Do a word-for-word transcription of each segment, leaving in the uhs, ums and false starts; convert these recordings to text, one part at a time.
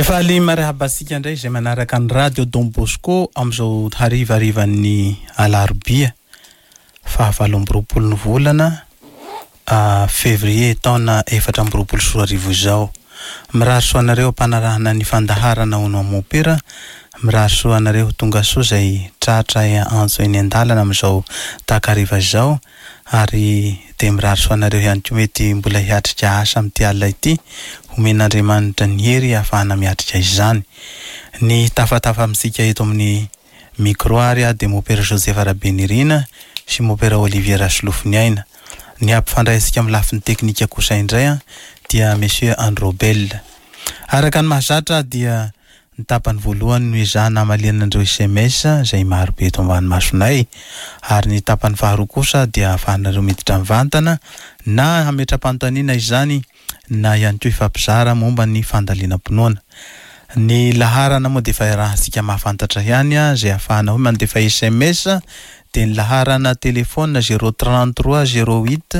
Dia faly miarahaba antsika indray izay manaraka ny radio Don Bosco amin'izao harivarivan'ny alarobia fahavalo amby roapolo ny volana février taona efatra amby roapolo sy roa arivo izao. Mirary soa anareo am-panarahana ny fandaharana Hono Amopera, mirary soa anareo tonga soa izay tratra antso eny an-dalana amin'izao takariva izao, ary dia mirary soa anareo ihany koa mety mbola hiatrika asa amin'ity alina ity, omen'Andriamanitra ny hery ahafahana miatrika izany. Ny tafatafa amintsika eto amin'ny micro ary dia Mopera Joseph Rabenirina sy Mopera Olivier Rasolofoniaina. Ny hampifandraisika amin'ny lafiny teknika kosa indray dia Monsieur Androbel. Araka ny mahazatra dia ny tapany voalohany no ezahana hamaliana an'ireo S M S izay marobe eto ambany masonay, ary ny tapany faharoa kosa dia ahafahanareo miditra mivantana na hametra-panontaniana izany na ihany koa hifampizara momba ny fandalinam-pinoana. Ny laharana moa dia efa iarahantsika mahafantatra ihany izay ahafahana hoe mandefa S M S, dia ny laharana telefona zéro trente-trois zéro huit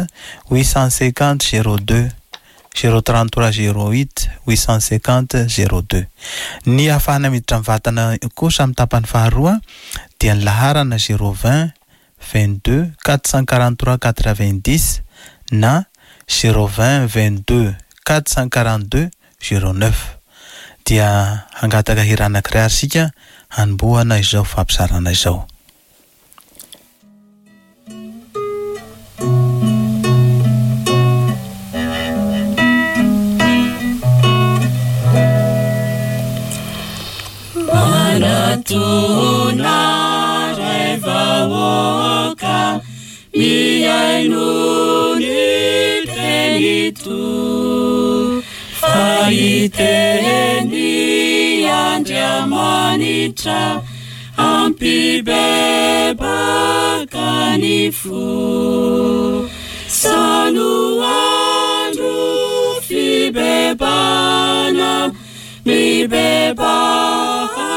huit cent cinquante zéro deux, zéro trente-trois zéro huit huit cent cinquante zéro deux. Ny ahafahana miditra mivantana kosa amin'ny tapany faharoa dia ny laharana zéro vingt vingt-deux quatre cent quarante-trois quatre-vingt-dix na zéro vingt vingt-deux quatre cent quarante-deux zéro neuf. Dia hangataka hira anankiray ary isika hanombohana izao fampizarana izao. Manatona ray vahoaka mihaino ny teny to, fa hiteny Andriamanitra ampibebaka ny fo. Sano andro fibebana, mibebaha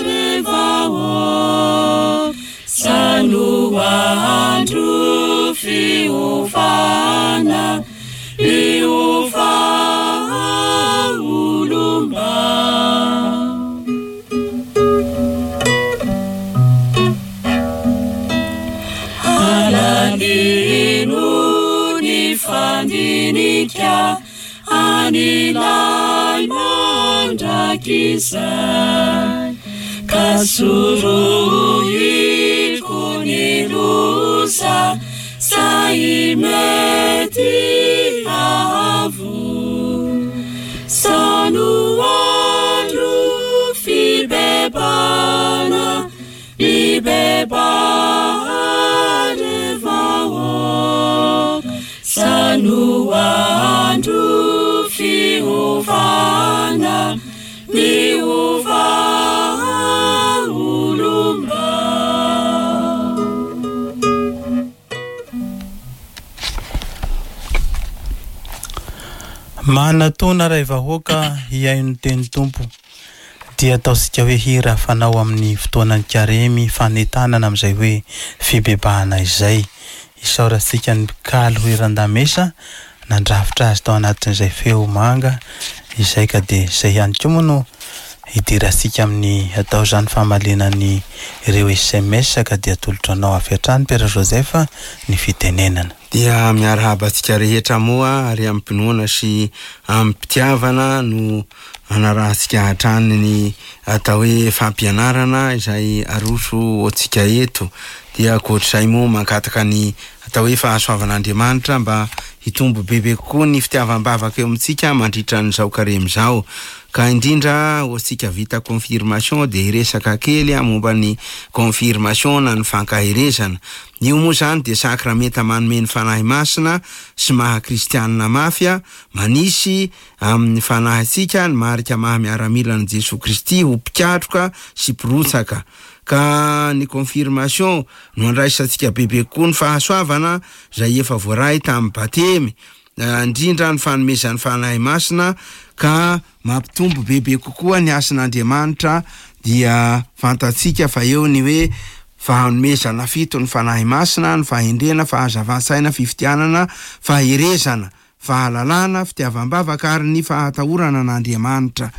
ry vahoaka. Sano andro fiovana, miova olomba. Alalino ny fandinika an'ilay mandrakizay, ka sorohiko ny loza zay mety hahavoa. Sano andro fibebana, mibebaha ry vahoaka. Sano andro fiovana, miova olomba. Manatona ray vahoaka hihaino ny teny Tompo dia ataontsika hoe hira fanao amin'ny fotoanan'ny karemy fanentanana amin'izay hoe fibebahana izay. Isaorantsika ny mpikalo hiran-damesa nandrafitra azy tao anatin'izay feo manga izay, ka dia izay ihany koa moa no hidirantsika amin'ny atao izany famaliana ny ireo S M S, ka dia atolotra anao avy hatrany Père Joseph ny fitenenana. Dia miarahaba antsika rehetra moa ary amim-pinoana sy amim-pitiavana no anarahantsika hatrany ny atao hoe fampianarana izay aroso ho antsika eto. Dia ankoatr'izay moa mangataka ny atao hoe fahasoavan'Andriamanitra mba hitombo bebe kokoa ny fitiavam-bavaka eo amintsika mandritra an'izao karemy izao. Ka indrindra ho antsika vita confirmation dia hiresaka kely momba ny confirmation na ny fankaherezana. Io moa izany dia sakramenta manome ny Fanahy Masina sy maha kristianina mafy, manisy amin'ny fanahintsika ny marika maha miaramilan'i Jesoa Kristy ho mpikatroka sy mpirotsaka. Ka ny confirmation no andraisantsika bebe kokoa ny fahasoavana izay efa voaray tamin'ny batemy, indrindra ny fanomezan'ny Fanahy Masina, ka mampitombo bebe kokoa ny hasin'Andriamanitra. Dia fantatsika fa eo ny hoe fanomezana fito ny Fanahy Masina, ny fahendrena, fahazavan-tsaina, fifitianana, faherezana, fahalalana, fitiavam-bavaka ary ny fahatahorana an'Andriamanitra.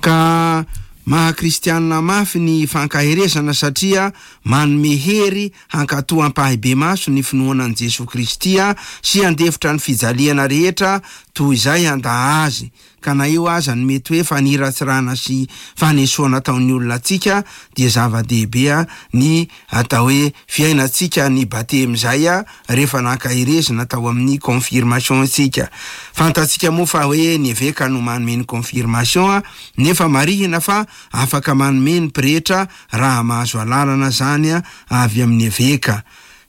Ka maha-kristianina mafy ny fankaherezana satria manome hery hankatoa ampahibemaso ny finoana an'i Jesoa Kristy sy handefitra ny fijaliana rehetra toy izay handà azy. Ka na eo aza ny mety hoe faniratsirana sy fanesoana ataon'ny olona antsika dia zava-dehibe ny atao hoe fiainantsika ny batemy izay rehefa nankaherezina tao amin'ny confirmation antsika. Fantatsika moa fa hoe ny eveka no manome ny confirmation, nefa marihina fa afaka manome ny pretra raha mahazo alalana zany avy amin'ny eveka.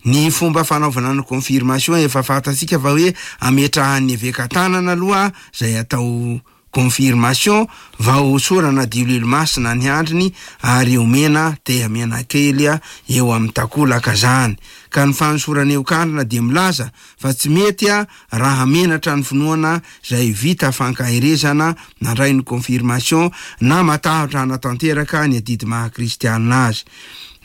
Ny fomba fanaovana ny confirmation efa fantatsika fa hoe ametrahan'ny eveka tanana aloha zay atao confirmation vao hosorana diloilo masina ny handriny ary omena tehamiana kely eo amin'ny takolaka zany. Ka ny fanosorana eo kandrina dia milaza fa tsy mety raha menatra ny finoana zay vita fankaherezana nandray ny confirmation na matahotra hanatanteraka ny adidy maha kristianina azy.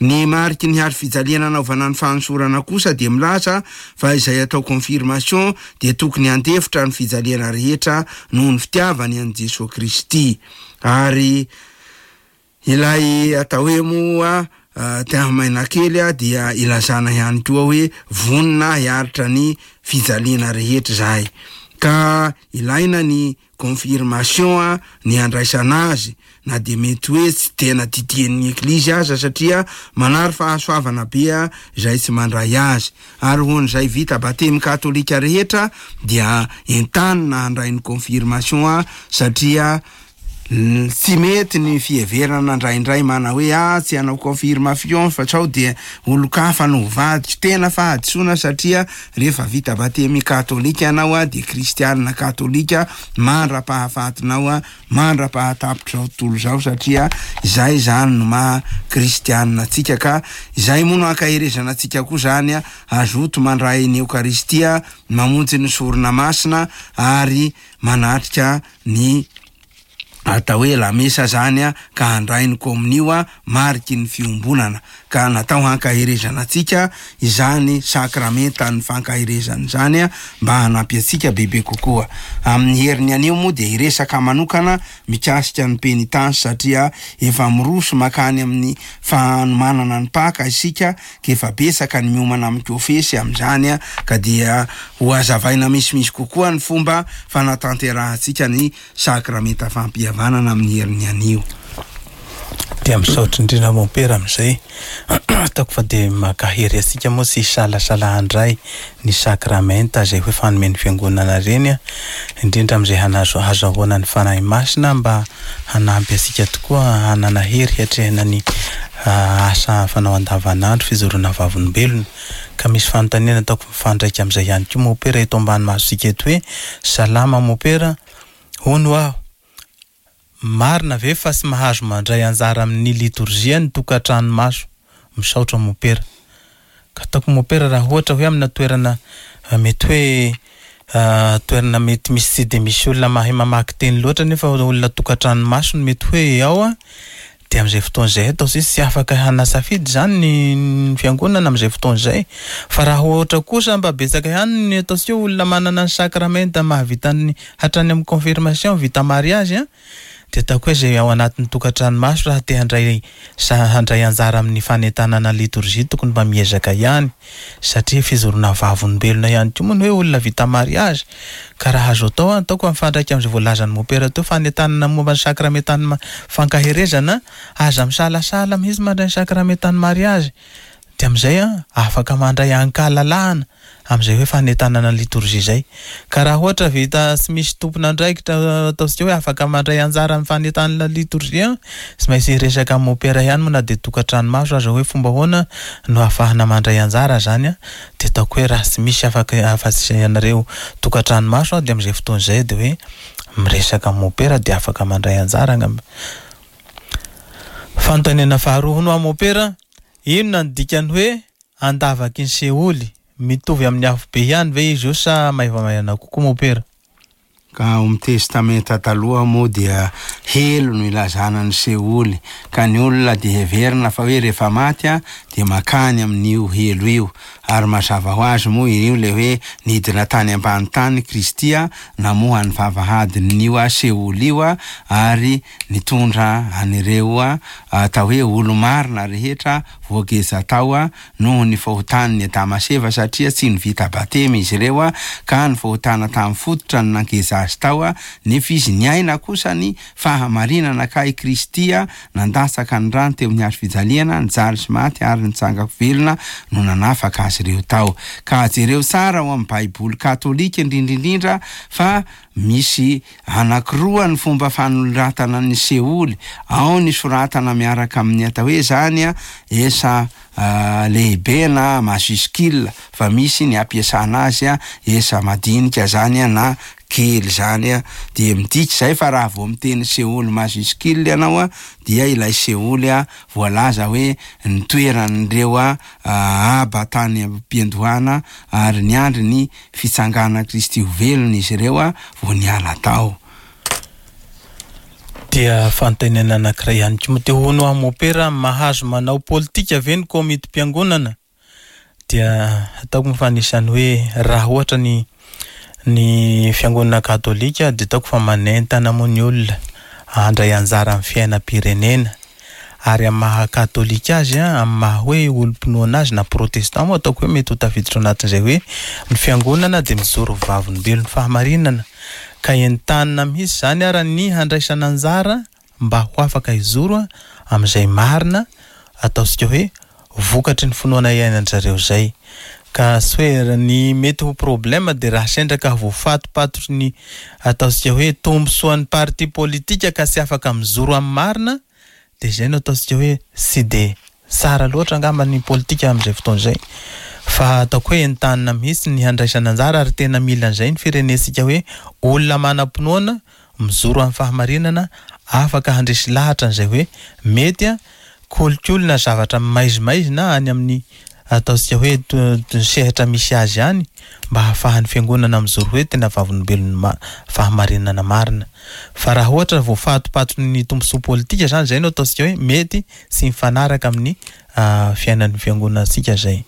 Ny mariky ny hazo fijaliana anaovana ny fanosorana kosa dia milaza fa izay atao confirmation dia tokony handefitra ny fijaliana rehetra noho ny fitiavany an'i Jesoa Kristy. Ary ilay atao hoe moa tehamaina kely dia ilazana ihany koa hoe vonona hiaritra ny fijaliana rehetra zahay. Ka ilaina ny confirmation ny andraisana azy na dia mety hoe tsy tena didian'ny eglizy aza satria manary fahasoavana be izay tsy mandray azy. Ary ho an'izay vita batemy katolika rehetra dia entanina handray ny confirmation satria tsy mety ny fiheverana indraindray mana hoe ah tsy hanao confirmation fa sao dia olon-kafa no vadiko. Tena fahadisoana satria rehefa vita batemy katolika ianao a dia kristianina katolika mandra-pahafatinao a mandra-pahatapitra izao tontolo izao satria izay zany no maha kristianina antsika. Ka izay moa no ankaherezana antsika koa zany a azoto mandray ny Eokaristia, mamonjy ny sorona masina ary manatrika ny atao hoe lamesa zany a ka handray ny komonio a mariky ny fiombonana. Ka natao hankaherezana antsika izany sakramentan'ny fankaherezana izany a mba hanampy antsika bebe kokoa. Amin'ny heriny anio moa dia hiresaka manokana mikasika ny penitence satria efa miroso makany amin'ny fanomanana ny Paka isika ka efa betsaka ny miomana amin'ny kofesy amin'izany a ka dia ho hazavaina misimisy kokoa ny fomba fanatanterahantsika ny sakramenta fampihavanana amin'ny heriny anio. Dia misaotra indrindra mompera amin'izay. Ataoko fa dia mankahery antsika moa tsy hisalasala handray ny sakramenta izay hoe fanomen'ny fiangonana ireny a, indrindra amin'izay hanazo hazahoana ny Fanahy Masina mba hanampy antsika tokoa hanana hery hiatrehana ny asa fanao andavanandro fijoroana vavolombelona. Ka misy fanontaniana ataoko mifandraika amin'izay ihany koa mompera eto ambany masontsika eto hoe salama mompera, hono aho marina ve fa tsy mahazo mandray anjara amin'ny litorjia ny tokantrano maso? Misaotra mompera. Ka ataoko mompera raha ohatra hoe amina toerana mety hoe toerana mety misy tsy de misy olona mahay mamaky teny loatra nefa olona tokantrano maso no mety hoe ao a, dia amin'izay fotoana izay atao tsy tsy afaka hanasafidy zany ny fiangonana amin'izay fotoana izay. Fa raha ohatra kosa mba betsaka ihany ny ataontsika hoe olona manana ny sakramenta mahavita ny hatrany amin'ny confirmation vita mariage a, dia ataoko hoe izay ao anatin'ny tokantrano maso raha te handray sa handray anjara amin'ny fanentanana litorjia tokony mba miezaka ihany satria fijoroana vavolombelona ihany koa moa ny hoe olona vita mariage. Ka raha azo atao ataoko mifandraika amin'izay voalazan'ny mompera teo fanentanana momba ny sakramentan'ny fankaherezana, aza misalasala mihitsy mandray ny sakramentan'ny mariage. Dia amin'izay a afaka mandray ankalalahana amin'izay hoe fanentanana litorjia izay. Ka raha ohatra vita tsy misy tompon'andraikitra ataontsika hoe afaka mandray anjara amin'ny fanentanana litorjia, tsy maintsy hiresaka amin'ny mompera ihany moa na dia tokantrano maso aza hoe fomba ahoana no ahafahana mandray anjara zany a. Dia ataoko hoe raha tsy misy afaka afa-tsy ianareo tokantrano maso a, dia amin'izay fotoana izay dia hoe miresaka amin'ny mompera dia afaka mandray anjara angamba. Fanontaniana faharoa hono amin'ny mompera, inona ny dikany hoe andavaky ny seoly? Mitovy amin'ny afobe ihany ve izy io sa maivamaivana kokoa mompera? Ka ao amin'ny Testamenta Taloha moa dia helo no ilazana ny seoly, ka ny olona dia heverina fa hoe rehefa maty a dia makany amin'io helo io. Ary mazava ho azy moa io le hoe nidina tany ambany tany Kristy a namoha ny vavahadin'io a seoly io a ary nitondra an'ireo a atao hoe olo-marina rehetra voageja tao a noho ny fahotan'ny Adama sy Eva, satria tsy nivita batemy izy ireo a ka ny fahotana tamin'ny fototra no nangeza azy tao a, nefa izy niaina kosa ny fahamarinana ka i Kristy a nandatsaka ny rano teo amin'ny hazo fijaliana, nijaly sy maty ary nitsangako velona no nanafaka azy ireo tao. Ka jereo tsara ao amin'ny Baiboly katolika indrindrindrindra fa misy anankiroa ny fomba fanoratana ny seoly. Ao ny soratana miaraka amin'ny atao hoe zany a esa lehibe na majuscule, fa misy ny ampiasana azy a esa madinika zany a na kely zany a. Dia midika zay fa raha vao miteny seoly majuscule ianao a dia ilay seoly a voalaza hoe ny toeran'ireo a aba tany am-piandohana ary niandry ny fitsangana Kristy ho velona izy ireo a vao niala tao. Dia fanontaniana anankiray ihany koa moa, dia hono aho mopera, mahazo manao politika ve ny komitim-piangonana? Dia ataoko moa fa anisan'ny hoe raha ohatra ny ny fiangonana katolika dia ataoko fa manentana moa ny olona handray anjara amin'ny fiainam-pirenena, ary amin'ny maha katolika azy a, amin'ny maha hoe olom-pinoana azy na protestant moa ataoko hoe mety ho tafiditra ao anatin'izay hoe ny fiangonana dia mijoro vavolombelon'ny fahamarinana, ka entanina mihitsy zany ara ny handraisana anjara mba ho afaka hijoro amin'izay marina ataontsika hoe vokatry ny finoana iainan'zareo zay. Ka tsy hoe ny mety ho problème dia raha sendra ka voafatopatotry ny ataontsika hoe tombontsoan'ny parti politika ka tsy afaka mijoro amin'ny marina, dia zay no ataontsika hoe tsy de tsara loatra angamba ny politika amin'izay fotoana izay. Fa ataoko hoe entanina mihitsy ny handraisana anjara, ary tena mila an'izay ny firenentsika hoe olona manam-pinoana mijoro amin'ny fahamarinana afaka handresy lahatra an'izay hoe mety a kolikoly na zavatra maizimaizina any amin'ny ataontsika hoe sehatra misy azy any, mba hahafahan'ny fiangonana mijoro hoe tena vavolombelon'ny ma- fahamarinana marina. Fa raha ohatra voafatopatotry ny tombontsoa politika zany, zay no ataontsika hoe mety tsy mifanaraka amin'ny fiainan'ny fiangonantsika zay.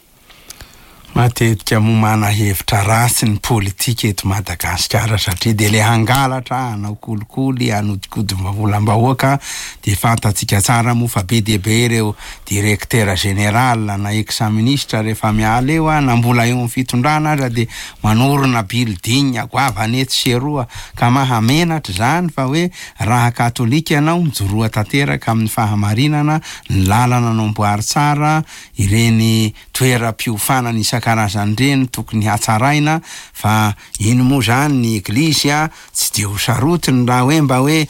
Matetika moa mana hevitra ratsy ny politika eto Madagasikara, satria dia le hangalatra, hanao kolikoly, hanodikody volam-bahoaka. Dia fantatsika tsara moa fa be dia be ireo directeur général na ex-ministre rehefa miala eo a, na mbola eo amin'ny fitondrana aza dia manorina building goavana etsy sy eroa, ka mahamenatra zany fa hoe raha katolika ianao mijoroa tanteraka amin'ny fahamarinana, ny lalana namboary tsara, ireny toeram-piofanana isan-karazany ireny tokony hatsaraina. Fa iny moa zany ny eglizy a tsy de ho sarotiny raha hoe mba hoe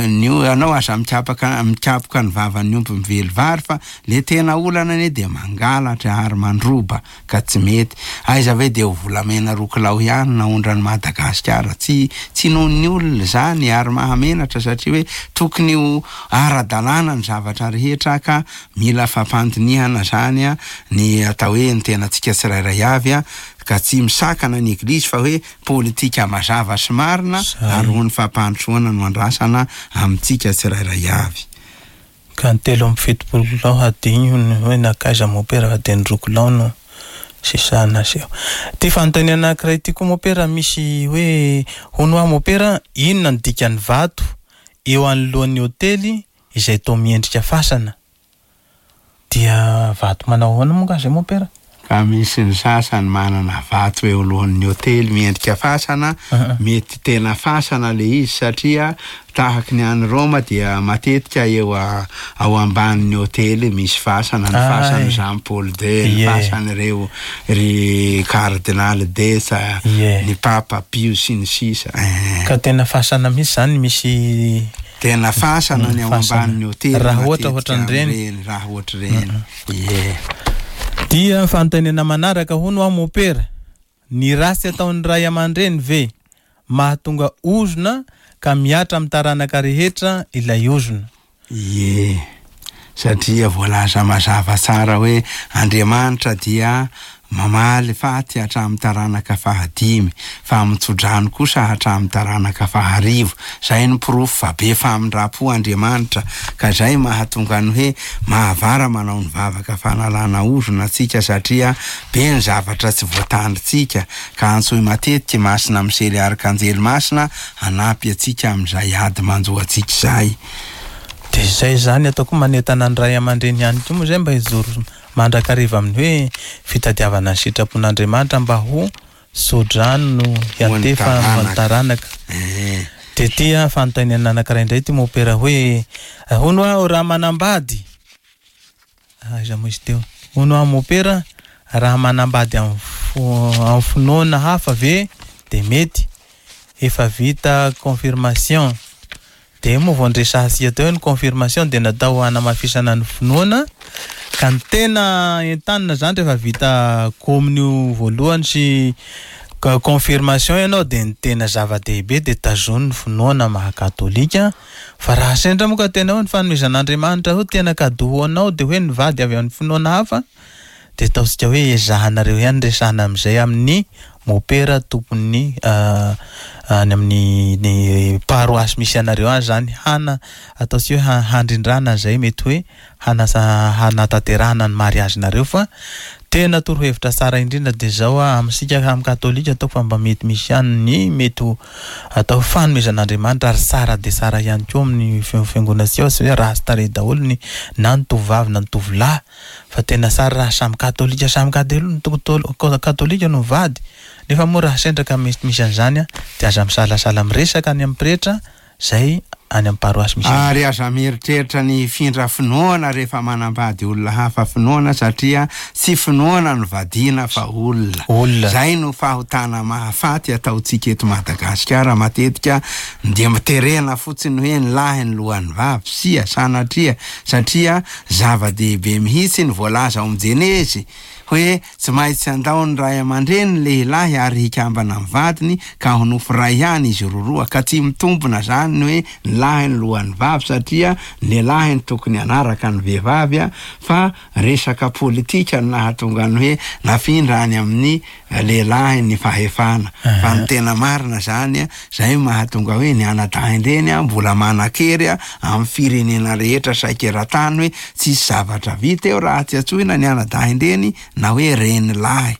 ny anao aza mikapaka mikapoka ny vavan'ny omby mively vary, fa le tena olana anie de mangalatra ary mandroba ka tsy mety. Aiza ve de ho volamena roa kilao ihany naondran'i Madagasikara? Tsy tsy noho ny olona zany, ary mahamenatra satria hoe tokony ho ara-dalàna ny zavatra rehetra, ka mila fampandinihana zany a ny atao hoe ny tenantsika tsirairay avy a, ka tsy misakana ny eglizy fa hoe politika mazava sy marina ary ho ny fampandrosoana no andrasana amintsika tsirairay avy. Ka ny telo amby fitopolo kilao hadino ny hoe nankaiza mopera fa dia ny roa kilao no sisa naseho. Ty fanontaniana anankiray ty koa mopera, misy hoe hono aho mopera, inona ny dikan'ny vato eo anoloan'ny hôtely izay toa miendrika fasana? Dia vato manao ahoana moa nga zay mopera? Ka misy ny sasany manana vato eo alohan'ny hôtely miendrika fasana, mety tena fasana le izy, satria tahaky ny any Roma dia matetika eo a, ao ambanin'ny hôtely misy fasana, ny fasan'ny Jean Paul deux, ny fasan'ireo ry cardinal Desa, ny Papa Pio sy ny sisa. Ka tena fasana mihitsy zany misy tena fasana ny ao ambanin'ny hôtely raha ohatra ohatran'ireny, raha ohatra ireny. Ie. Dia fanontaniana manaraka, hono aho mopera, ny ratsy ataon'ny ray aman-dreny ve mahatonga ozona ka mihatra amin'ny taranaka rehetra ilay ozona? Ie, Satria voalaza mazava tsara hoe Andriamanitra dia mamaly faty hatramin'ny taranaka fahadimy, fa mitsodrano kosa hatramin'ny taranaka faharivo. Zay ny porofo fa be famindram-po Andriamanitra, ka zay mahatonga ny hoe mahavara manao ny vavaka fanalana ozona antsika, satria be ny zavatra tsy voatandrintsika, ka antsoy matetika Masina Misely Arkanjely Masina hanampy antsika amin'izay ady manjo antsika izay. De zay zany ataoko manentana ny ray aman-dreny ihany koa moa zay mba hijoro mandrakariva amin'ny hoe fitadiavana ny sitrapon'Andriamanitra mba ho sodrano no hiantefa ho an'ny taranaka. Eh. De ty a fanontaniana anankiray indray ty mopera hoe hono aho raha manambady, aiza moa izy teo, hono aho mopera raha manambady amin'ny fo- amin'ny finoana hafa ve de mety, efa vita confirmation. De moa vao ndresahantsika teo ny confirmation de natao hanamafisana ny finoana, ka ny tena entanina zany rehefa vita communio voalohany sy ka- confirmation ianao de ny tena zava-dehibe de tazony ny finoana maha katolika. Fa raha sendra moa ka tena hoe ny fanomezan'Andriamanitra hoe tena cadeau ho anao de hoe ny vady avy amin'ny finoana hafa, de ataontsika hoe ezahanareo ihany resahana amin'izay amin'ny mopera tompon'ny, ah, any amin'ny ny paroasy misy anareo any zany, hana ataontsika hoe ha-, handrindrana an'izay mety hoe hanasa-, hanatanterahana ny mariazinareo. Fa tena torohevitra tsara indrindra de zao a, amintsika amin'ny katolika ataoko fa mba mety misy ihany ny mety ho atao fanomezan'Andriamanitra, ary tsara de tsara ihany koa amin'ny fi-, fiangonantsika, tsy hoe ratsy tarehy daholo ny na ny tovovavy na ny tovolahy, fa tena tsara raha samy katolika, samy katol-, to-, katolika no mivady. Nefa moa raha sendra ka misy, misy an'izany a, de aza misalasala miresaka any amin'ny pretra zay any amin'ny paroasy misy. Ary aza mieritreritra ny hifindra finoana rehefa manambady olona hafa finoana, satria tsy finoana no vadiana fa olona. Olona. Zay no fahotana mahafaty ataontsika eto Madagasikara matetika, dia miterena fotsiny hoe ny lahy ny lohan'ny vavy, sia sanatria, satria zava-dehibe mihitsy ny voalaza ao amin'ny Jenezy hoe tsy maintsy andao ny ray aman-dreny ny lehilahy ary hikambana amin'ny vadiny ka ho nofo ray ihany izy roroa, ka tsy mitombina zany ny hoe ny lahy ny lohan'ny vavy, satria ny lehilahy no tokony hanaraka ny vehivavy a, fa resaka politika no nahatonga ny hoe nafindra any amin'ny lehilahy ny fahefana. Fa ny tena marina zany a, zay mahatonga hoe ny anadahin-dreny a mbola manan-kery a amin'ny firenena rehetra saika eran-tany hoe tsisy zavatra vita eo raha tsy antsoina ny anadahin-dreny na hoe reny lahy.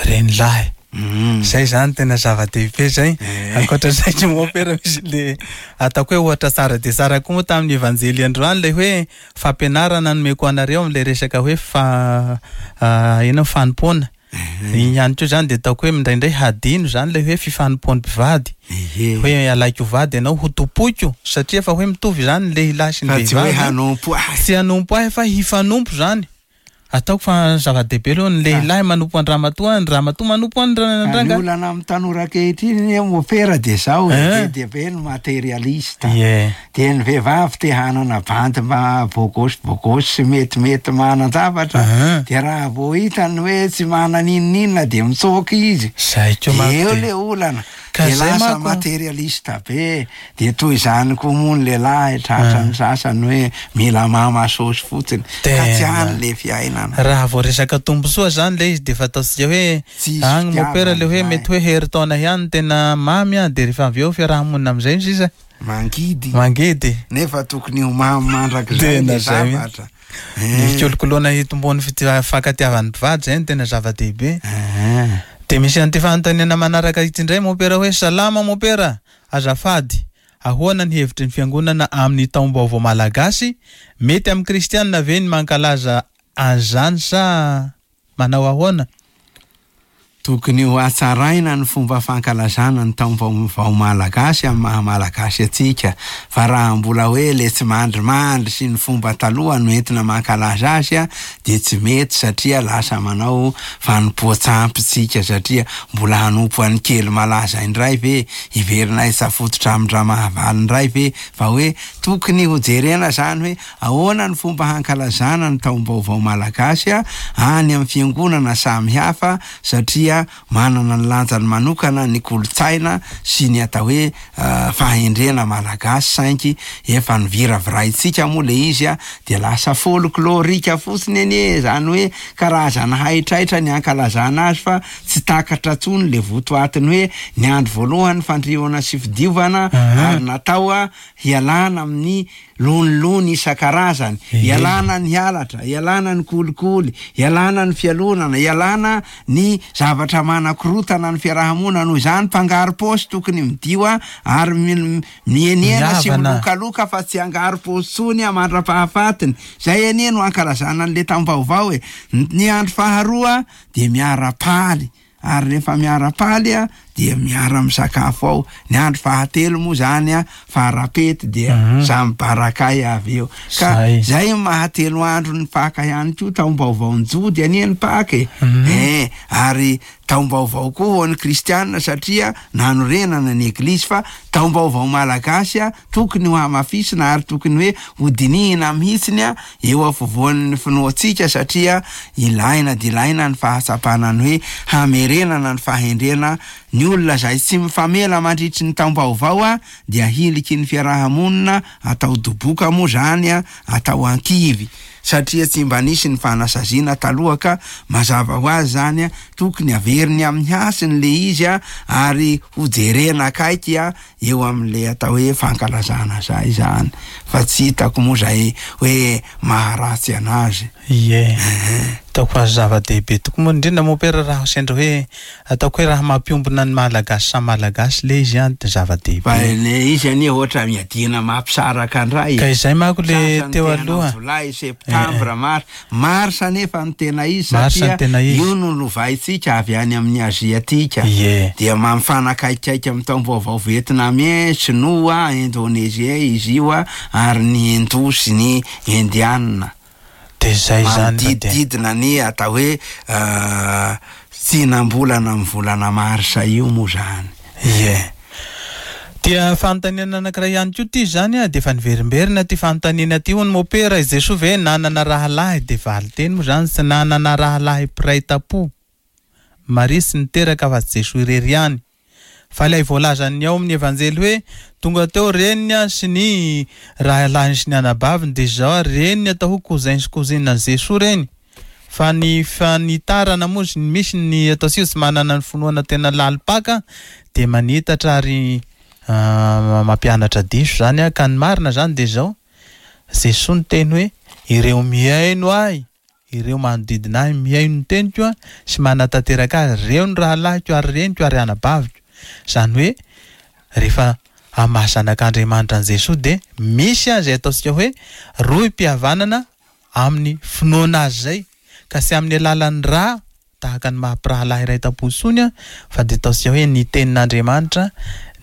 Reny lahy. Mm. Zay zany tena zava-dehibe zay. Eh. Ankoatra izay ny mopera misy le ataoko hoe ohatra tsara dia tsara koa moa tamin'ny evanjely androany le hoe fampianarana nomeko anareo amin'ilay resaka hoe fa, ah, ino fanompoana. Eh. Iny ihany koa zany dia ataoko hoe indraindray hadino zany le hoe fifanompoan'ny mpivady. Ehe. Hoe alaiko vady ianao ho tompoiko, satria efa hoe mitovy zany ny lehilahy sy ny Fa tsy hoe vehivavy. hanompo ahy. Tsy hanompo ahy fa hifanompo zany. Ataoko fa zava-dehibe aloha ny lehilahy manompo an-dramatoa, ny ramatoa manompo an-dra-, Ny olana amin'ny tanora ankehitriny ny mopera dia zao, Eh. be dia be ny materialista. Ie. Dia ny vehivavy te hanana bandy mba bogosy bogosy sy metimety manan-javatra. Aha. Dia raha vao hitany hoe tsy manana n'inon'inona dia mitsoaka izy. Zay koa manko Eo dia le olana. Ka Dia zay lasa manko. materialista be. Dia toy izany koa moa ny lehilahy tratran'ny sasany hoe mila mama saosy fotsiny. Ka tsy Tena. any le fiainana. Raha vao resaka tombontsoa zany le izy dia efa ataontsika hoe Tsisy agny mopera le hoe fitiavana, mety hoe herintaona ihany tena mamy a, dia rehefa avy eo fiarahamonina amin'izay ny sisa. Mangidy. Mangidy. Nefa tokony ho mamy mandrakizay Tena le zay mihitsy. zavatra. Ny Eh. fikolokoloana hitomboan'ny fitia-, fankatiavan'ny mpivady zay no tena zava-dehibe. Eh. Dia misy an'ity fanontaniana manaraka ity indray mopera hoe salama mopera, azafady, ahoana ny hevitry ny fiangonana amin'ny taom-baovao malagasy? Mety amin'ny kristianina ve ny mankalaza an'izany sa manao ahoana? Tokony ho hatsaraina ny fomba fankalazana ny taom-baovao malagasy amin'ny maha malagasy antsika, fa raha mbola hoe le tsy mandrimandry sy ny fomba taloha no entina mankalaza azy a, dia tsy mety, satria lasa manao fanompoan-tsampy tsika, satria mbola hanompo an'ny kely malaza indray ve, hiverina hisafototra amin-dRamahavaly indray ve, fa hoe tokony ho jerena zany hoe ahoana ny fomba hankalazana ny taom-baovao malagasy a any amin'ny fiangonana samihafa, satria Satria manana ny lanjany manokana ny kolontsaina sy ny atao hoe fahendrena malagasy, saingy efa niviraviraintsika moa le izy a dia lasa folklorika fotsiny anie, zany hoe karazana haitraitra ny ankalazana azy fa tsy takatra intsony le votoatiny hoe ny andro voalohany fandriona sy fidiovana ary natao a hialana amin'ny lonilony isan-karazany, hialana ny halatra, hialana ny kolikoly, hialana ny fialonana, hialana ny zavatra manakorotana ny fiarahamonina. Noho izany mpangaro-paosy tokony midio a ary mienena sy milokaloka fa tsy angaro-paosy intsony a mandra-pahafatiny. Zay anie no ankalazana an'le taom-baovao e. Ny andro faharoa dia miara-paly, ary rehefa miara-paly a dia miara-misakafo ao. Ny andro fahatelo moa zany a farapety dia samy barakay avy eo. Ka zay mahatelo andro ny Paka ihany koa, taom-baovao ny Jody anie ny Paka e. Eh, ary taom-baovao koa ho an'ny kristianina satria nanorenana ny eglizy, fa taom-baovao malagasy a tokony ho hamafisina ary tokony hoe hodinihina mihitsiny a eo afovoan'ny finoantsika, satria ilaina dia ilaina ny fahatsapana ny hoe hamerenana ny fahendrena. Ny olona zay tsy mifamela mandritry ny taom-baovao a dia hiliky ny fiarahamonina, atao doboka moa zany a, atao ankivy, satria tsy mba nisy ny fanasaziana taloha ka mazava ho azy zany a tokony averiny amin'ny hasiny le izy a ary hojerena akaiky a eo amin'le atao hoe fankalazana zay zany, fa tsy hitako moa zay hoe maharatsy anazy. Ie, ataoko azy zava-dehibe tokoa moa, indrindra moa pera raha sendra hoe ataoko hoe raha mampiombona ny malagasy samy malagasy le izy a dia zava-dehibe. Fa le izy anie ohatra miadiana mampisaraka indray. Ka izay manko le teo aloha. Jolay, septambra, mars, mars anefa ny tena izy satria io no lovaintsika avy any amin'ny aziatika. Dia mampifanakaikaiky amin'ny taom-baovao vietnamien, sinoa, indonésien izy io a, ary ny hindou sy ny indianina. Dia zay zany manodidididina ny atao hoe tsinam-bolana amin'ny volana marsa io moa zany. Ie. Dia fanontaniana anankiray ihany koa ty zany a, dia efa niverimberina ty fanontaniana ty hono mopera, i Jesoa ve nanana rahalahy? Dia valin-teny moa zany tsy nanana rahalahy mpiray tampo Maria sy niteraka fa Jesoa irery ihany. Fa ilay voalazan'ny ao amin'ny evanjely hoe tonga teo reniny a sy ny rahalahiny sy ny anabaviny, dia izao reniny atao hoe cousin sy cousine an'i Jesoa reny. Fa ny fanitarana moa sy misy ny atao sy tsy manana ny finoana tena lalim-paka dia manitatra ary mampianatra diso zany a. Ka ny marina zany dia izao, Jesoa niteny hoe ireo mihaino ahy, ireo manodidina ahy mihaino ny teniko a sy manatanteraka azy, ireo ny rahalahiko ary reniko ary anabaviko. Zany hoe rehefa amin'ny maha zanak'Andriamanitra an'i Jesoa dia misy azy ataontsika hoe rohim-pihavanana amin'ny finoana azy zay, ka tsy amin'ny alalan'ny rà tahaka ny maha mpirahalahy iray tampo intsony a, fa dia ataontsika hoe ny tenin'Andriamanitra,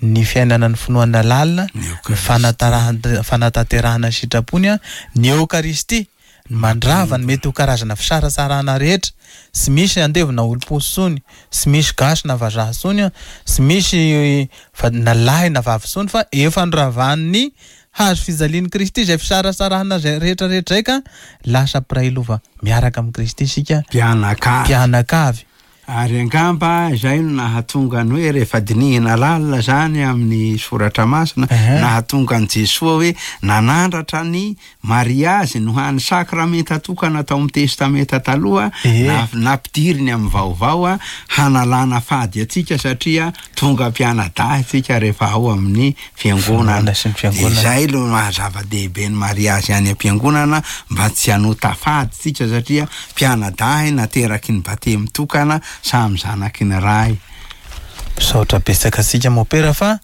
ny fiainana ny finoana lalina, ny fanatarahan- fanatanterahana ny sitrapony a, ny Eokaristia, ny mandrava ny mety ho karazana fisaratsarahana rehetra. Tsy misy andevo na olom-posy intsony, tsy misy gasy na vazaha intsony, tsy misy fa na lahy na vavy intsony, fa efa noravan'ny hazo fijalian'i Kristy izay fisaratsarahana izay rehetra rehetra izay, ka lasa mpiray lova miaraka amin'i Kristy isika, mpianakavy. Mpianakavy. Ary angamba izay no nahatonga ny hoe rehefa dinihina lalina zany amin'ny soratra masina, nahatonga an'i Jesoa hoe nanandratra ny mariazy no hany sakramenta tokana tao amin'ny testamenta taloha, nampidiriny amin'ny vaovao a, hanalana fady antsika satria tonga mpianadahy tsika rehefa ao amin'ny fiangonana. Izay no maha zava-dehibe ny mariazy any am-piangonana, mba tsy hanota fady tsika satria mpianadahy nateraky ny batemy tokana, samy zanaky ny Ray. Misaotra betsaka antsika mopera fa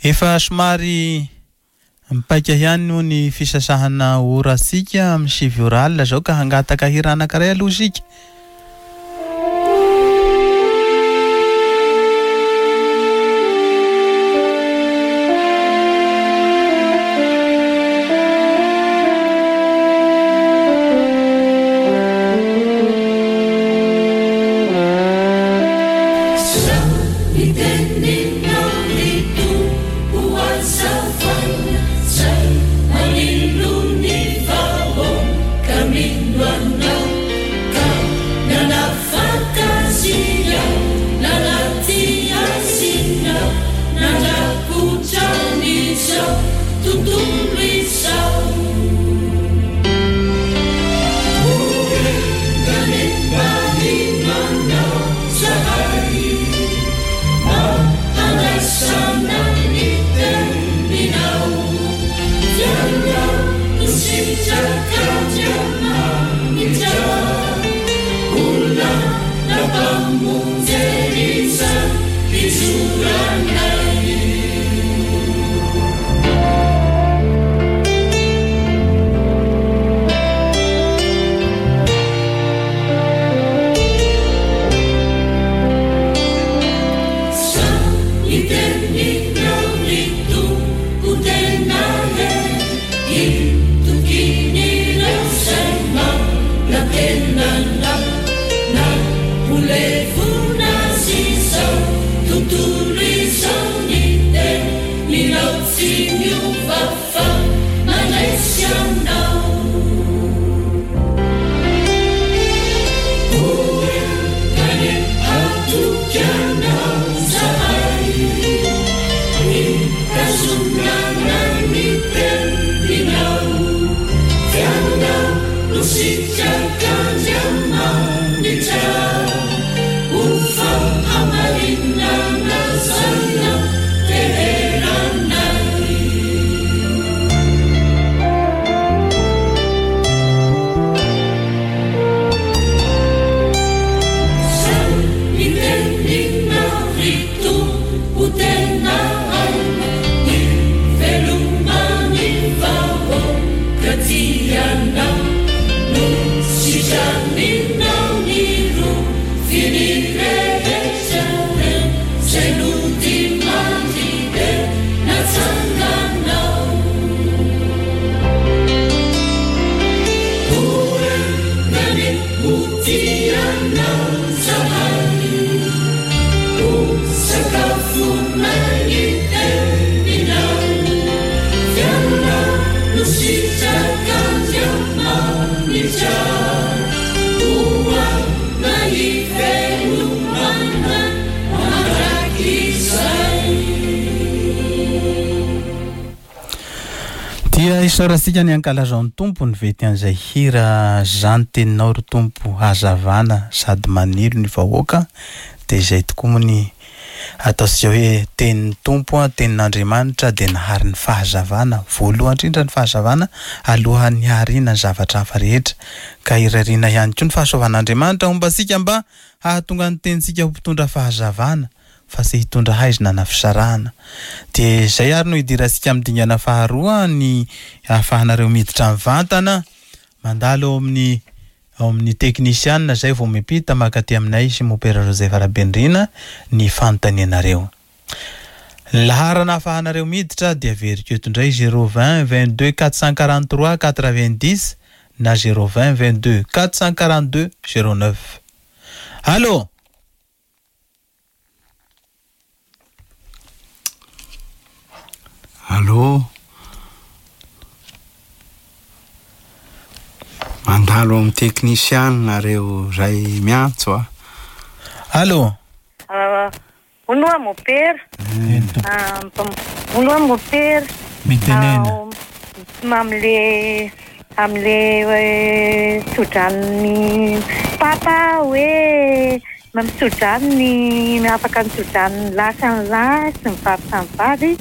efa somary mipaika ihany noho ny fisasahana ora antsika amin'ny sivy ora alina zao, ka hangataka hira anankiray aloha isika. Go. Dia isaorantsika ny ankalazao ny Tompo ny vety an'izay hira zany teninao ry Tompo hazavana sady manilo ny vahoaka. Dia izay tokoa moa ny ataontsika hoe tenin'ny Tompo, tenin'Andriamanitra dia nahary ny fahazavana, voalohany indrindra ny fahazavana alohan'ny hariana ny zavatra hafa rehetra. Ka irariana ihany koa ny fahasoavan'Andriamanitra homba antsika mba hahatonga ny tenintsika ho mpitondra fahazavana fa tsy hitondra haizina na fisarahana. Dia izay ary no hidirantsika amin'ny dingana faharoa, ny ahafahanareo miditra mivantana mandalo ao amin'ny ao amin'ny teknisianina izay vao miampita makaty aminay sy Mopera Joseph Rabendrina ny fanontanianareo. Ny laharana ahafahanareo miditra dia averiko eto indray zéro vingt vingt-deux quatre cent quarante-trois quatre-vingt-dix na zéro vingt vingt-deux quatre cent quarante-deux zéro neuf. Allô? Allô? Mandalo amin'ny teknisianina reo zay miantso a. Allô? Hono a mopera. Hono a mopera. Mitenena. Amle amle tsodrany papa hoe mitsodrany afaka mitsodrany lahy sy ny lahy sy ny vavy samy vavy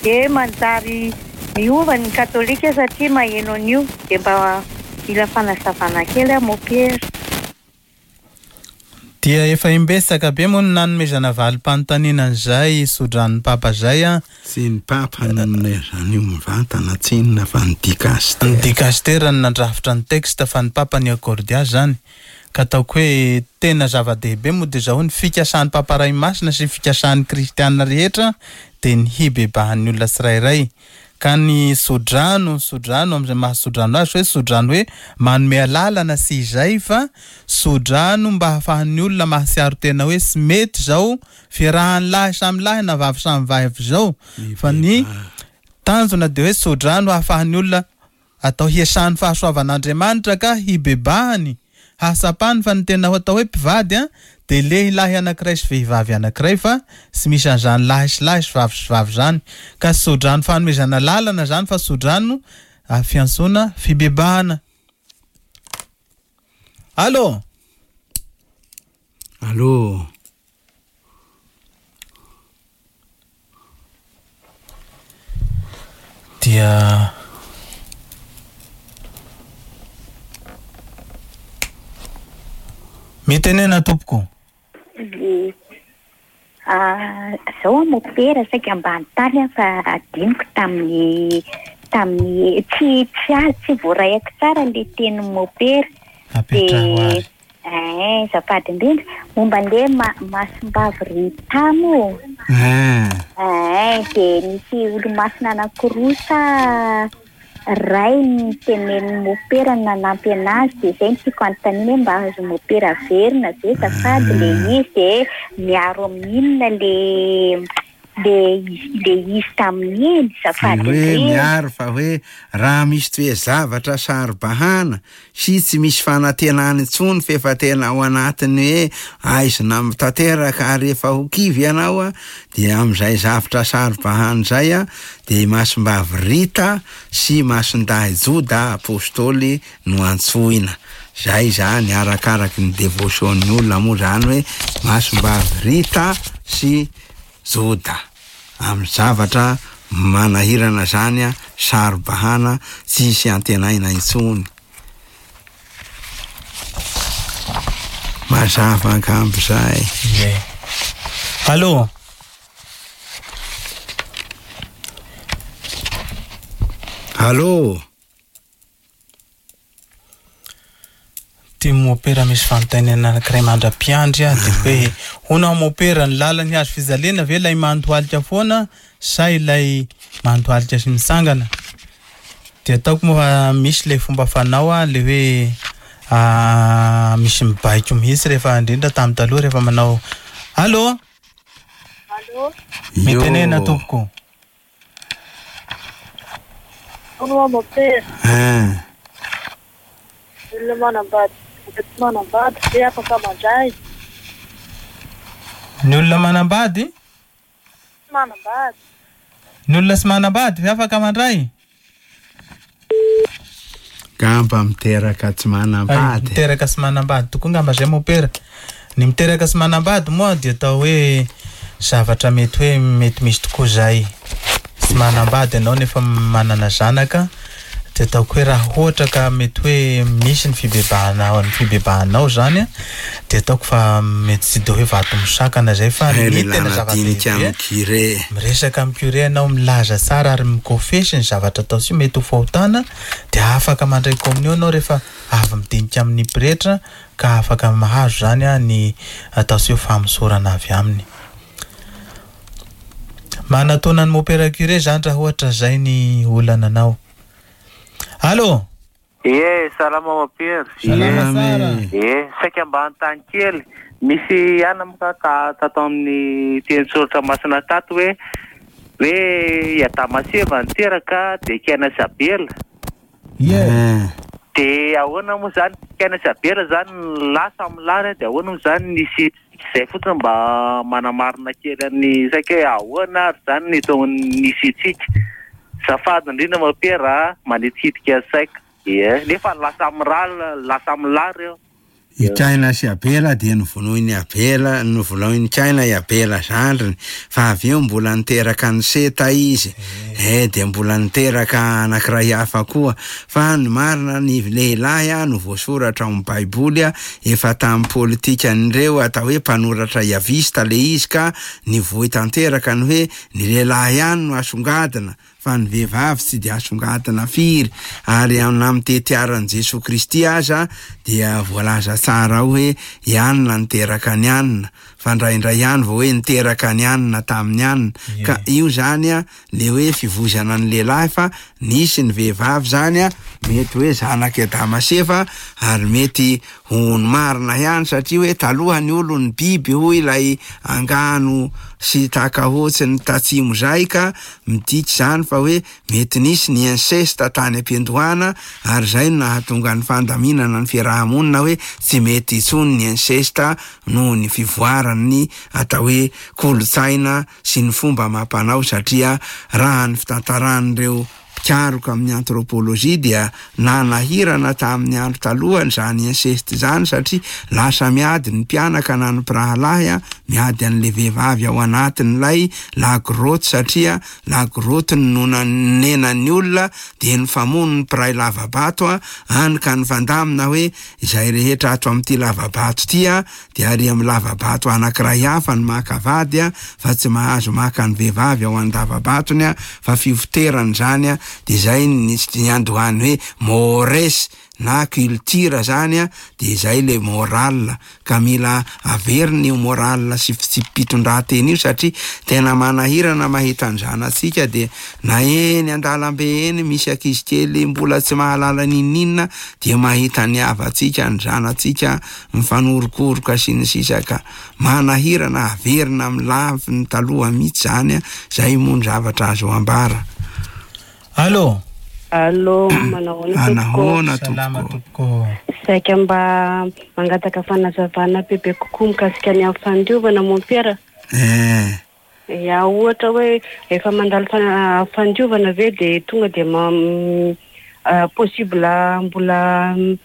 dia manjary miova ny katolika satria maheno an'io dia mba mila fanazavana kely a mopera. Dia efa imbetsaka be moa no nanomezana valim-panontaniana an'izay sodran'ny papa zay a. Tsy ny papa no nanomezana io mivantana tsinona fa ny dikastera. Ny dikastera no nandrafitra ny texte fa ny papa ny accordy azy zany. Ka ataoko hoe tena zava-dehibe moa dia zao ny fikasan'ny papa Ray Masina sy fikasan'ny kristianina rehetra dia ny hibebahan'ny olona tsirairay. Ka ny sodrano, sodrano amin'izay maha sodrano azy hoe sodrano hoe manome alalana sy izay fa sodrano mba hahafahan'ny olona mahatsiaro tena hoe tsy mety zao fiarahan'ny lahy samy lahy na vavy samy vavy zao fa ny tanjona dia hoe sodrano hahafahan'ny olona atao hiasan'ny fahasoavan'Andriamanitra ka hibebahany hahasapany fa ny tena atao hoe mpivady a dia lehilahy anankiray sy vehivavy anankiray fa tsy misy an'izany lahy sy lahy sy vavy sy vavy zany. Ka sodrano fanomezana lalana zany fa sodrano fiantsoana fibebahana. Allô? Allô? Dia Mitenena tompoko. Ie. Ah, zao mopera saika ambany tany aho fa adinoko tamin'ny tamin'ny tsy tsy azo tsy voarayako tsara le teny mopera. Apetraho ary. Eh, azafady indrindra momba an'le ma- masimbavy Rita moa. Eh, Eh, dia nisy olo-masina anankiroa sa ray ny tenenin'ny mopera nanampy anazy, dia izay no tiako anontaniana hoe mba azo mopera averina ve azafady le izy, dia miaro amin'inona le le le izy tamin'iny Tsy azafady hoe indrindra. miaro fa hoe raha misy toe-zavatra saro-bahana sy tsy misy fanantenana intsony fa efa tena ao anatin'ny hoe aizina tanteraka ary efa ho kivy ianao a, dia amin'izay zavatra saro-bahana izay a, dia Masimbavy Rita sy Masindahy Joda apôstôly no antsoina. Zay zany arakaraky ny devotion-ny olona moa zany hoe Masimbavy Rita sy Joda. Amin'ny zavatra manahirana zany a, saro-bahana tsisy antenaina intsony. Mazava angamba zay. Ie. Allô? Allô? Ty mopera misy fanontaniana anankiray mandra-piandry a, dia hoe hono mopera ny lalan'ny hazo fijaliana ve ilay mandohalika foana sa ilay mandohalika sy mitsangana? Dia ataoko moa fa misy ilay fomba fanao a, le hoe, ah, misy mibaiko mihitsy rehefa indrindra tamin'ny taloha rehefa manao. Allô? Allô? Mitenena Yo. tompoko. Hono mopera. Eh. Olona manambady, tsy manambady ve afaka mandray? Ny olona manambady? Tsy manambady. Ny olona tsy manambady ve afaka mandray? Gamba miteraka tsy manambady. Ay, miteraka tsy manambady tokoa ngamba zay mopera. Ny miteraka tsy manambady moa dia atao hoe zavatra mety hoe mety misy tokoa zay. Tsy manambady ianao nefa manana zanaka, dia ataoko hoe raha ohatra ka mety hoe misy ny fibebahanao, ny fibebahanao zany a, dia ataoko fa mety tsy de hoe vato misakana zay fa Ay, ny le tena lana zava-dehibe dinika amin'ny curé. Miresaka amin'ny curé ianao, milaza tsara ary mikofesy ny zavatra atao sy mety ho fahotana, dia afaka mandray communion ianao rehefa avy midinika amin'ny pretra ka afaka mahazo zany a ny atao sy hoe famosorana avy aminy. Manatona ny mopera curé zany raha ohatra zay ny olana anao. Allô? Ie, salama mopera. Salama tsara. Ie, saika mba hanontany kely. Misy ihany moa ka tato amin'ny teny soratra masina tato hoe, hoe i Adama sy Eva niteraka dia Kaina sy Abela. Ie. Eh. Dia ahoana moa zany Kaina sy Abela zany lasa amin'ny lany, dia ahoana moa zany nisy izay fotsiny mba manamarina kely an'ny saika hoe ahoana ary zany ny tao nisy antsika. Zafady indrindra mopera manitikitika saika. Ie, nefa lasa amin'ny ra, lasa amin'ny lahy reo. I Kaina sy Abela dia novonoin'i Abela, novonoin'i Kaina i Abela zandriny, fa avy eo mbola niteraka an'i Seta izy. Eh, dia mbola niteraka anankiray hafa koa. Fa ny marina ny lehilahy a, no voasoratra ao amin'ny Baiboly a, efa tamin'ny politikan'ireo atao hoe mpanoratra iavista le izy ka nivoy tanteraka ny hoe ny lehilahy ihany no asongadina fa ny vehivavy tsy dia asongadina firy. Ary na amin'ny tetiaran'i Jesoa Kristy aza dia voalaza tsara ao hoe i Anna niteraka an'i Anna, fa indraindray ihany vao hoe niteraka an'i Anna tamin'i Anna. Ie. Ka io zany a, le hoe fivoizana ny lehilahy fa nisy ny vehivavy zany a, mety hoe zanak'i Adama sy Eva ary mety ho ny marina ihany satria hoe taloha ny olony biby hoy ilay angano sy takahotsy ny tatsimo zay ka midika zany fa hoe mety nisy ny inceste tany am-piandohana ary zay no nahatonga ny fandaminana ny fiarahamonina hoe tsy mety intsony ny inceste noho ny fivoaran'ny atao hoe kolontsaina sy ny fomba mampanao satria raha ny fitantaran'ireo mpikaroka amin'ny anthropologie dia nanahirana tamin'ny andro talohany zany inceste zany, satria lasa miady ny mpianaka na ny mpirahalahy a, miady an'le vehivavy ao anatin'ilay la grotte, satria la grotte no nanenan'ny olona de nifamono ny mpiray lavabato a, any ka nifandamina hoe izay rehetra ato amin'ity lavabato ty a de ary amin'ny lavabato anankiray hafa ny maka vady a, fa tsy mahazo maka ny vehivavy ao an-davabatony a, fa fifoterany zany a. De zay ny niandohany hoe mores na culture zany a, de zay le moral, ka mila averina io moral sy fitsipi-pitondran-tena io, satria tena manahirana mahita ny zanatsika de na eny an-dalambe eny misy ankizy kely mbola tsy mahalala n'inon'inona de mahita ny havantsika, ny zanatsika mifanorokoroka sy ny sisa, ka manahirana averina amin'ny lafiny taloha mihitsy zany a. Zay moa ny zavatra azo ambara. Allô. Allô, manao ahoana tompoko? Anahoana Salama tompoko. tompoko. Saika mba mangataka fanazavana bebe kokoa mikasika ny amin'ny fandiovana mompera. Eh, Ya, ohatra hoe efa mandalo fana- fandiovana ve de tonga de ma- mm, ah, possible mbola mm,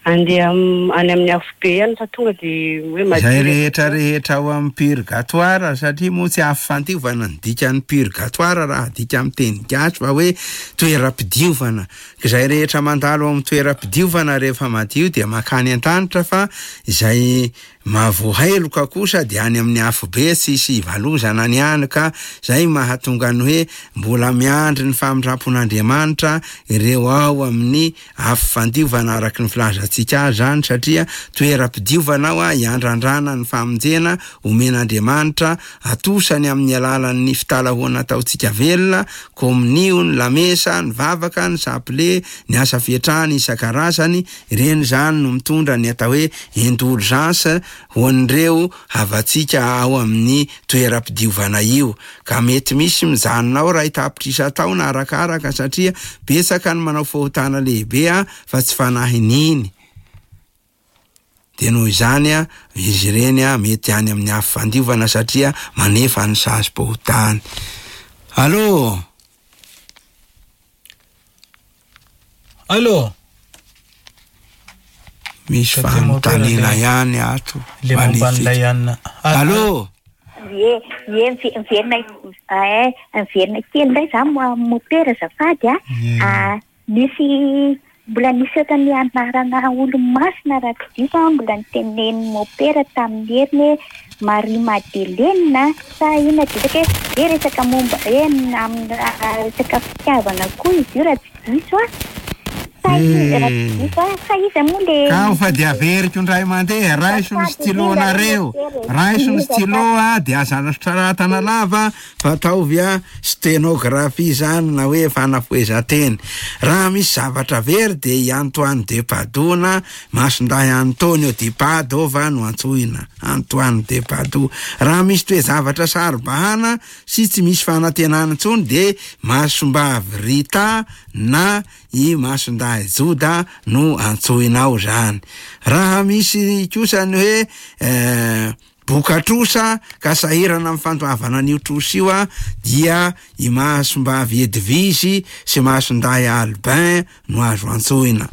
andeha am- any amin'ny afobe ihany fa tonga de hoe madio. Zay rehetra rehetra ao amin'ny purgatoire, satria moa tsy afo fandiovana ny dikan'ny purgatoire raha adika amin'ny teny gasy fa hoe toeram-pidiovana. Ka izay rehetra mandalo ao amin'ny toeram-pidiovana rehefa madio dia makany an-danitra, fa izay mahavoaheloka kosa dia any amin'ny afobe tsisy ivalozana ny any, ka zay mahatonga ny hoe mbola miandry ny famindrampon'Andriamanitra ireo ao amin'ny afo fandiovana araky ny filazantsika azy zany, satria toeram-pidiovana ao a hiandrandrana ny famonjena omen'Andriamanitra atosany amin'ny alalan'ny fitalahoana ataontsika velona, kominio, ny lamesa, ny vavaka, ny saple, ny asa fiatrahana isan-karazany. Ireny zany no mitondra ny atao hoe indulgence ho an'ireo havantsika ao amin'ny toeram-pidiovana io, ka mety misy mijanona ao ray tapitrisa taona arakaraka, satria betsaka ny manao fahotana lehibe a fa tsy fanahininy. De noho izany a izy ireny a mety any amin'ny afo fandiovana satria manefa ny sazim-pahotany. Allô. Allô. Misy Satria mompera fanontaniana le- ihany ato. Le momba an'ilay anina. Allô. Ie, ie, mive- miverina eh, miverina kely indray za mo- mopera azafady a. Ie. Ah, nisy mbola nisy ohatran'ny anarana olo-masina raha tsy diso aho, mbola niteneniny mopera tamin'ny heriny hoe Marie Madeleine sa inona dia hoe hoe resaka momba hoe amin'ny resaka fitiavana koa izy io raha tsy diso aho. Sa izy raha tsy diso aho, sa iza moa le Kao fa de averiko indray mandeha, raiso ny stylo-nareo, raiso ny stylo a, de aza soratana lava fa ataovy a sténographie zany na hoe fanafohezan-teny. Raha misy zavatra very de i Antoine de Padoue na Masindahy Antonio di Padova no antsoina, Antoine de Padoue. Raha misy toe-zavatra saro-bahana sy tsy misy fanantenana intsony de Masombavy Rita na i Masindahy Joda no antsoinao zany. Raha misy kosa ny hoe eh, boka trosa ka sahirana amin'ny fandoavana an'io trosa io a dia i Masombavy Edvizy sy Masindahy Albin no azo antsoina.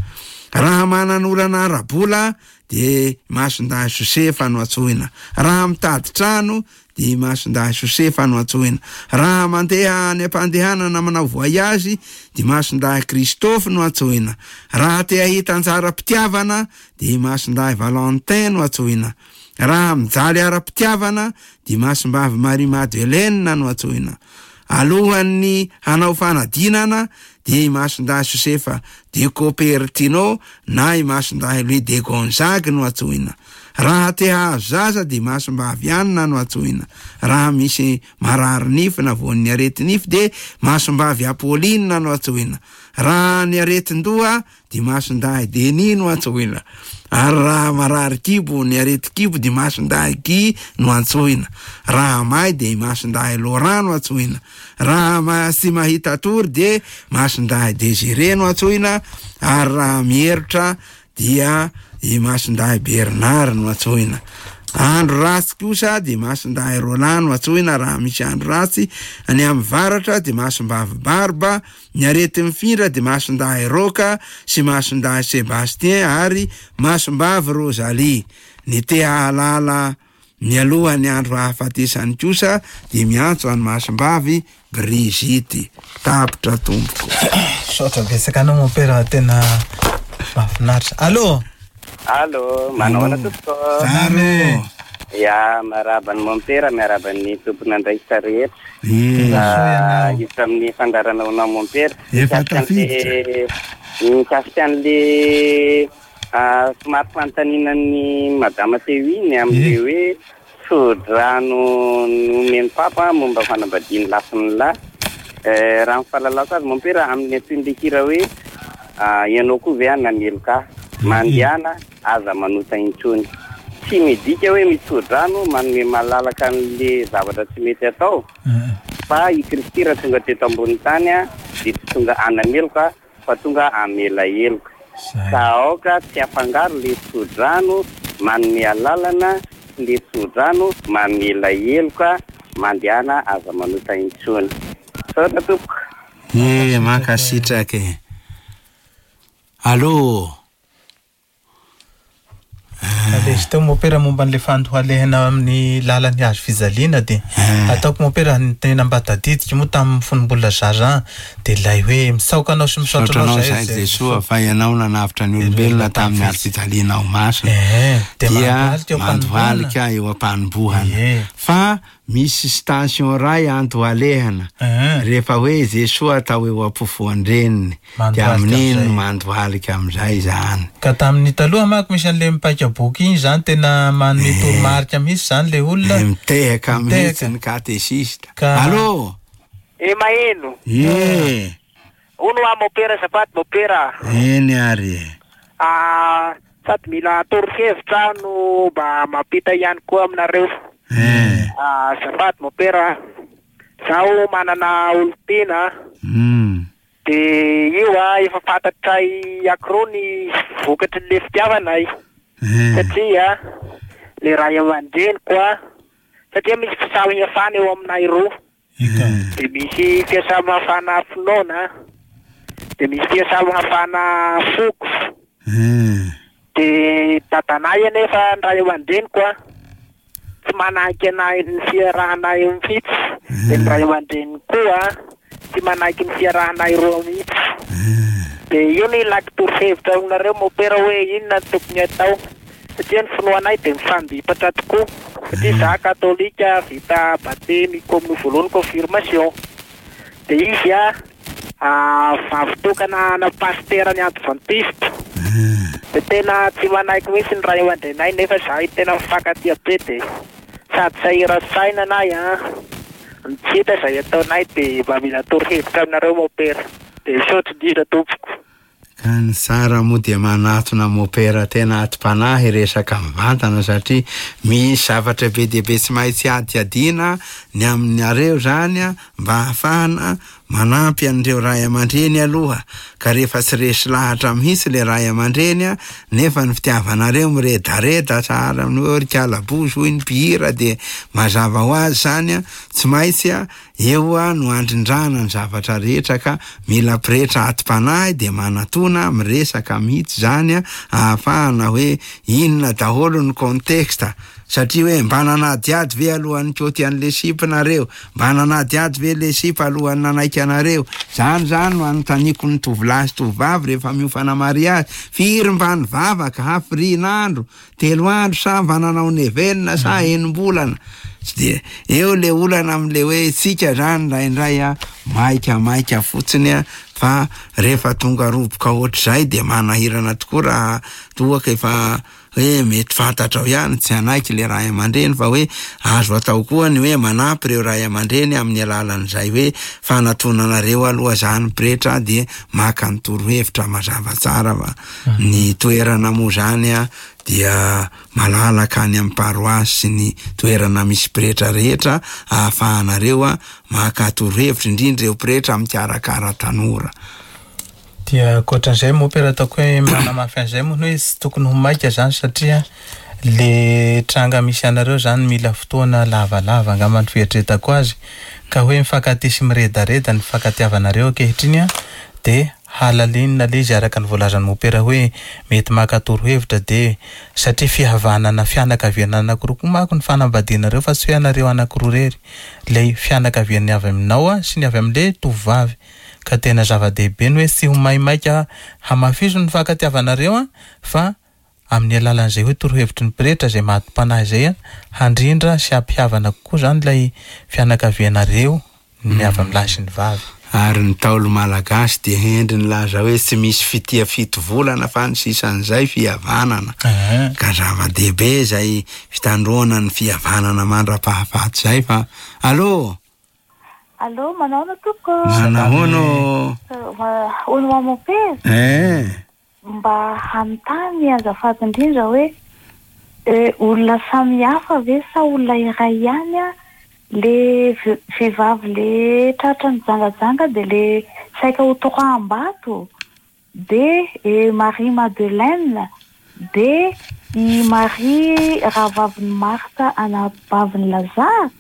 Raha manan'olana ara-bola de Masindahy Josefa no antsoina. Raha mitady trano de Masindahy Josefa no antsoina. Raha mandeha any am-pandehanana manao voyage de Masindahy Christophe no antsoina. Raha te hahita anjara-pitiavana de Masindahy Valentin no antsoina. Raha mijaly ara-pitiavana de Masimbavy Marie Madeleine no antsoina. Alohan'ny hanao fanadinana de i Masindahy Josefa de Copertino na i Masindahy Louis de Gonzague no antsoina. Raha te hahazo zaza de Masimbavy Anna no antsoina. Raha misy marary nify na voan'ny areti-nify de Masimbavy Apolline no antsoina. Raha ny aretin-doha de Masindahy Denis no antsoina. Ary raha marary kibo ny areti-kibo de Masindahy Guy no antsoina. Raha may de Masindahy Laurent no antsoina. Raha ma- tsy mahita tory de Masindahy Désiré no antsoina. Ary raha mierotra dia i Masindahy Bernard no antsoina. Andro ratsy kosa dia Masindahy Roland no antsoina raha misy andro ratsy. Any amin'ny varatra dia Masimbavy Barba, ny areti-mifindra dia Masindahy Roka sy Masindahy Sébastien ary Masimbavy Rosalie. Ny te hahalala mialoha ny andro hahafatesany kosa dia miantso an'i Masimbavy Brigitte. Tapitra tompoko. Misaotra betsaka anao mompera, tena mahafinaritra. Allô? Allô, manao ahoana tompoko? Zaro. Ya, miarahaba ny mompera, miarahaba ny tompon'andraikitra rehetra. Eh. Hiditra amin'ny fandaharana ho anao mompera. Efa Mikasika an'le- Mikasika an'le ah, somary fanontaniana ny madama teo iny amin'le hoe tso-drano nomen'ny papa momba fanambadian'ny lahy sy ny lahy. Eh, raha ny fahalalako azy mompera amin'ny antsoin'le hira hoe ah, ianao koa ve nameloka ahy? Mandehana aza manota intsony. Tsy midika hoe mitso-drano manome malalaka an'le zavatra tsy mety atao, fa i Kristy raha tonga teto ambony tany a, dia tsy tonga hanameloka fa tonga hamela heloka. Ka aoka tsy afangaro le tso-drano manome alalana sy le tso-drano mamela heloka, mandehana aza manota intsony. Misaotra tompoko. Eh, mankasitraka e. Allô? Ilay izy teo mompera momba an'ilay fandohalehana amin'ny lalan'ny hazo fijaliana dia ataoko mompera ny tena mba tadidiko moa tamin'ny fony mbola zaza dia ilay hoe misaoka anao sy misaotra Misaotra anao anao zahay zahay Jesoa fa ianao nanavotra ny olombelona tamin'ny hazo fijalianao masina. Eh, dia Dia mandohalika eo mandohalika eo am-panombohana. Fa misy station ray andohalehana. Rehefa hoe Jesoa atao eo am-pofoan-dreniny, dia Mandohalika amin'iny amin'izay. mandohalika amin'izay zany. Ka tamin'ny taloha manko misy an'ilay mipaika boky iny zany tena manome toromarika mihitsy zany le olona. Mitehaka mihitsy ny katesista. Ka- Allô? E maheno. Eh, Hono ah mopera azafady mopera. eny ary e. Ah, sady mila torohevitra no mba mampita ihany koa aminareo. Ah, azafady mopera. Zaho manana olon-tiana. Mm. De io ah efa fantatray akroa ny vokatry ny fitiavanay. Satria le ray aman-dreniko ah satria misy fisamihafana eo aminay roa. De misy fiasamihafana finoana, de misy fiasamihafana foko. De dadanay anefa ny ray aman-dreniko ah tsy manaiky anay ny fiarahanay mihitsy. De ny ray aman-dreniko koa tsy manaiky ny fiarahanay roa mihitsy. De io ny ilako torohevitra aminareo mopera hoe inona no tokony atao. Satria ny finoanay de mifandipatra tokoa. Satria za katolika vita batemy komino voalohany confirmation. De izy a ah, vavy tokana na pasitera ny adventiste. De tena tsy manaiky mihitsy ny ray aman-drenay nefa zahay tena mifankatia be de sady sahira-saina anay a. Ny tsy hita izay ataonay de mba mila torohevitra aminareo mopera. De misaotra indrindra tompoko. Ka ny tsara moa dia manatona mopera tena atim-panahy resaka mivantana satria misy zavatra be dia be tsy maintsy adiadiana ny aminareo zany a, mba ahafahana manampy an'ireo ray aman-dreny aloha. Ka rehefa tsy resy lahatra mihitsy le ray aman-dreny a, nefa ny fitiavanareo miredareda sahala amin'ny hoe ry kalabozy hoy ny mpihira dia mazava ho azy zany a, tsy maintsy a eo a no andrindrana ny zavatra rehetra ka mila pretra atim-panahy dia manatona miresaka mihitsy zany a, ahafahana hoe inona daholo ny contexte. Satria hoe mba nanadiady ve alohan'ny koty an'le sipa nareo, mba nanadiady ve le sipa alohan'ny nanaiky anareo. Zany zany no anontaniako ny tovolahy sy tovovavy rehefa miofana mariazy. Firy mba nivavaka, hafirian'andro, telo andro sa mba nanao nevenina sa enim-bolana. Tsy dia eo le olana amin'le hoe tsika zany indraindray a maika maika fotsiny a, fa rehefa tonga roboka ohatr'izay dia manahirana tokoa raha toa ka efa hoe mety fantatrao ihany tsy hanaiky le ray aman-dreny, fa hoe azo atao koa ny hoe manampy ireo ray aman-dreny amin'ny alalan'izay hoe fanatonanareo aloha zany pretra dia maka ny torohevitra mazava tsara fa ny toerana moa zany a dia malalaka any amin'ny paroasy sy ny toerana misy pretra rehetra ahafahanareo a maka torohevitra, indrindra ireo pretra mikarakara tanora. Dia ankoatran'izay moa pera ataoko hoe manamafy an'izay moa ny hoe tsy tokony ho maika zany satria Le tranga misy anareo zany mila fotoana lavalava angamba ny fieritreretako azy, ka hoe mifankatia sy miredareda ny fifankatiavanareo ankehitriny a, de halalinina le izy araka ny voalazan'ny mopera hoe mety maka torohevitra, de satria fihavanana fianakaviana anankiroa koa manko ny fanambadianareo fa tsy hoe anareo anankiroa rery, le fianakavian'ny avy aminao a sy ny avy amin'le tovovavy, ka tena zava-dehibe ny hoe tsy ho maimaika hamafiso ny fifankatiavanareo a, fa amin'ny alalan'izay hoe torohevitry ny pretra izay maty-panahy izay a, handrindra sy hampihavana kokoa zany ilay fianakavianareo ny avy amin'ny lahy sy ny vavy. Ary ny Ntaolo malagasy dia hendry nilaza hoe tsy misy fitia fito volana fa ny sisan'izay fihavanana. Ka zava-dehibe izay fitandroana ny fihavanana mandra-pahafaty izay fa allô. Allô, manahoana tompoko? Manahoana? Hono ho mopera? Eh. Mba hanontany azafady indrindra hoe olona samy hafa ve sa olona iray ihany a? Le vehivavy le tratra nijangajanga de le saika ho toraham-bato, de Marie Madeleine, de i Marie rahavavin'i Martha anabavin'i Lazare.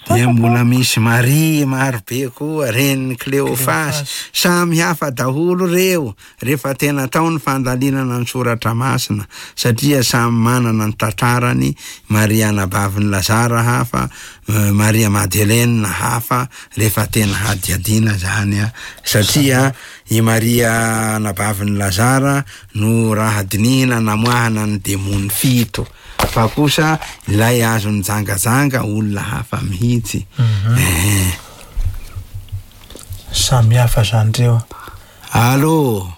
Dia mbola misy Marie marobe koa, renin'i Cléophas, samy hafa daholo reo rehefa tena atao ny fandalinana ny soratra masina, satria samy manana ny tantarany. Maria anabavin'i Lazare hafa, Maria Madeleine hafa, rehefa tena hadiadiana zany a, satria i Maria anabavin'i Lazare no raha dinihina namoahana ny demony fito, fa kosa ilay azony jangajanga olona hafa mihitsy. Eh. Samy hafa zany reo. Allô.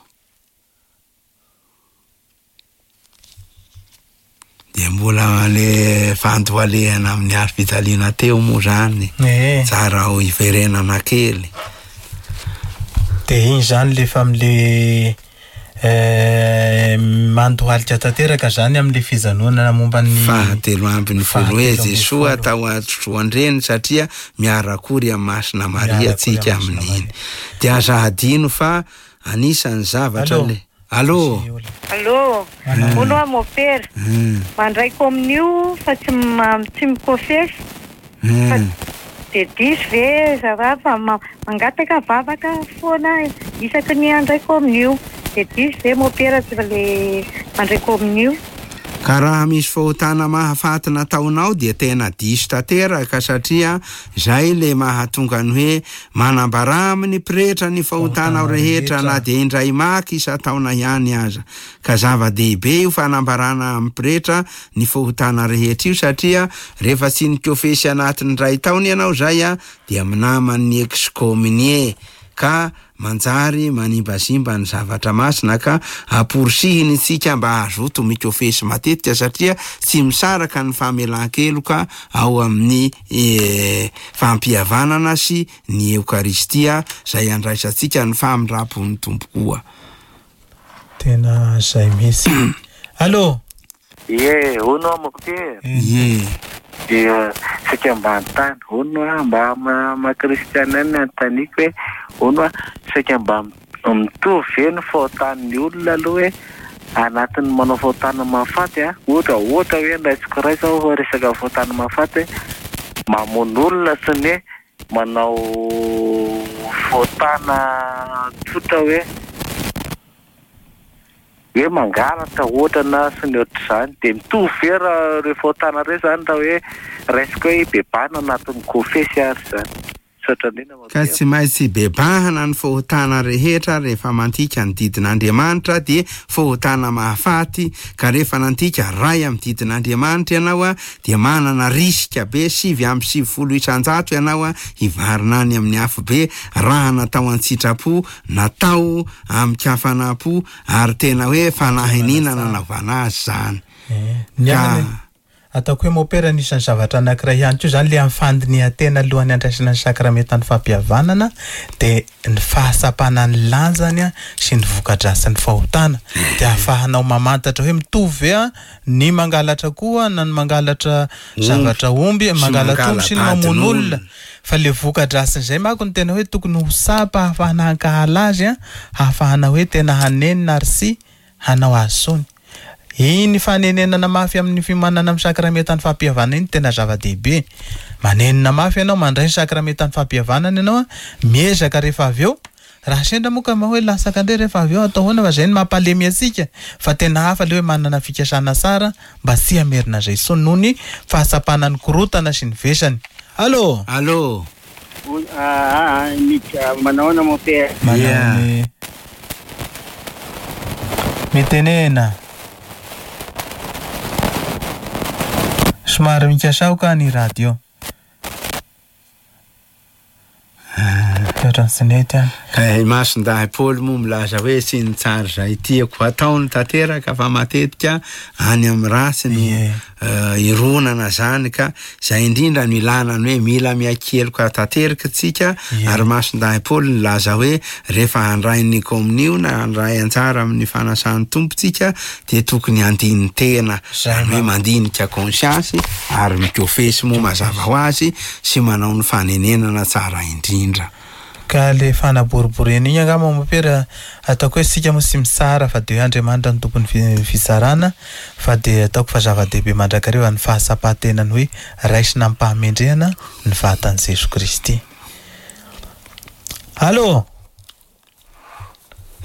Dia mbola le fandohalehana amin'ny hazo fijaliana teo moa zany. Tsara ho iverenana kely. De iny zany le fa am'le mandohalika tanteraka zany amin'le fijanonana momba ny fahatelo ambin'ny folo hoe Jesoa tao an-troandreny, satria miarakory amin'ny Masina Maria tsika amin'iny. Dia aza hadino fa anisan'ny zavatra le allô. Allô. Hono aho mopera. Mandray kominio fa tsy tsy mikofesy. De diso ve zava fa mangataka vavaka foana isaky ny andray kominio. De diso ve mopera tsy le mandray kominio? Ka raha misy fahotana mahafaty nataonao dia tena diso tanteraka, satria zay le mahatonga ny hoe manambara amin'ny pretra ny fahotanao rehetra na dia indray maky isan-taona ihany aza. Ka zava-dehibe io fanambarana amin'ny pretra ny fahotana rehetra io, satria rehefa tsy nikofesy anatin'ny ray taona ianao zay a, dia minaman'ny excommunié ka manjary manimbazimba ny zavatra masina, ka amporisihiny tsika mba hazoto mikofesy matetika, satria tsy misaraka ny famelan-keloka ao amin'ny fampihavanana sy ny Eokaristia zay andraisantsika ny famindram-pon'ny Tompo koa. Tena zay mihitsy. Allô. Ie, hono aho mopera. Ie. Dia saika mba hanontany, hono aho mba maha kristiana ny anontaniako hoe hono aho saika mba mitovy ve ny fahotan'ny olona aloha hoe anatin'ny manao fahotana mahafaty a, ohatra ohatra hoe raisiko iray zao fa resaka fahotana mahafaty hoe mamono olona sy ny hoe manao fahotana tsotra hoe hoe mangalatra ohatra na sy ny ohatr'izany, dia mitovy ve raha ireo fahotana ireo zany raha hoe raisiko hoe bebahana anatin'ny kofesy ary zany? Ka tsy maintsy bebahana ny fahotana rehetra rehefa mantika ny didin'Andriamanitra, dia fahotana mahafaty. Ka rehefa nantika ray amin'ny didin'Andriamanitra ianao a, dia manana risika be sivy amby sivifolo isan-jato ianao a hivarina any amin'ny afobe raha natao an-tsitrapo, natao amin-kafanam-po, ary tena hoe fanahiniana nanaovana azy zany. Ka ataoko hoe mopera anisan'ny zavatra anankiray ihany koa zany le amin'ny fandinihan-tena alohan'ny andraisana ny sakramentan'ny fampihavanana, dia ny fahatsapana ny lanjany a sy ny voka-dratsin'ny fahotana, dia ahafahanao mamantatra hoe mitovy ve a ny mangalatra koa na ny mangalatra zavatra omby, mangalatra omby sy ny mamono olona, fa le voka-dratsin'izay manko no tena hoe tokony ho tsapa ahafahana hankahala azy a, ahafahana hoe tena hanenina ary sy hanao azy tsony. Iny fanenenana mafy amin'ny fiomanana amin'ny sakramentan'ny fampihavanana iny tena zava-dehibe. Manenina mafy ianao, mandray ny sakramentan'ny fampihavanana ianao, miezaka rehefa avy eo. Raha sendra moa ka hoe latsaka indray rehefa avy eo, atao ahoana fa izay no mampalemy antsika, fa tena hafa ilay hoe manana fikasana tsara mba tsy hamerina izay intsony noho ny fahatsapana ny korontana sy ny vesany. Allô? Allô? Manao ahoana mon père? Manao mitenena. Somary mikasaoka ny radio. Ohatran'ny tsy nety any. Ka i Masindahy Paoly moa milaza hoe tsy ny tsara izay tiako hatao no tanteraka fa matetika any amin'ny ratsy no ironana zany, ka izay indrindra no ilana ny hoe mila miakeloka tanteraka tsika. Ary Masindahy Paoly nilaza hoe rehefa handray ny komonio na handray anjara amin'ny fanasan'ny Tompo tsika dia tokony handini-tena, izany hoe mandinika conscience ary mikofesy moa mazava ho azy sy manao ny fanenenana tsara indrindra. Ka le fanaboriborena iny angamba mompera ataoko hoe sika moa tsy mitsara fa de hoe Andriamanitra no tompon'ny fitsarana, fa de ataoko fa zava-dehibe mandrakariva ny fahatsapan-tenany hoe raisina amim-pahamendrehana ny vatan'i Jesoa Kristy. Allô?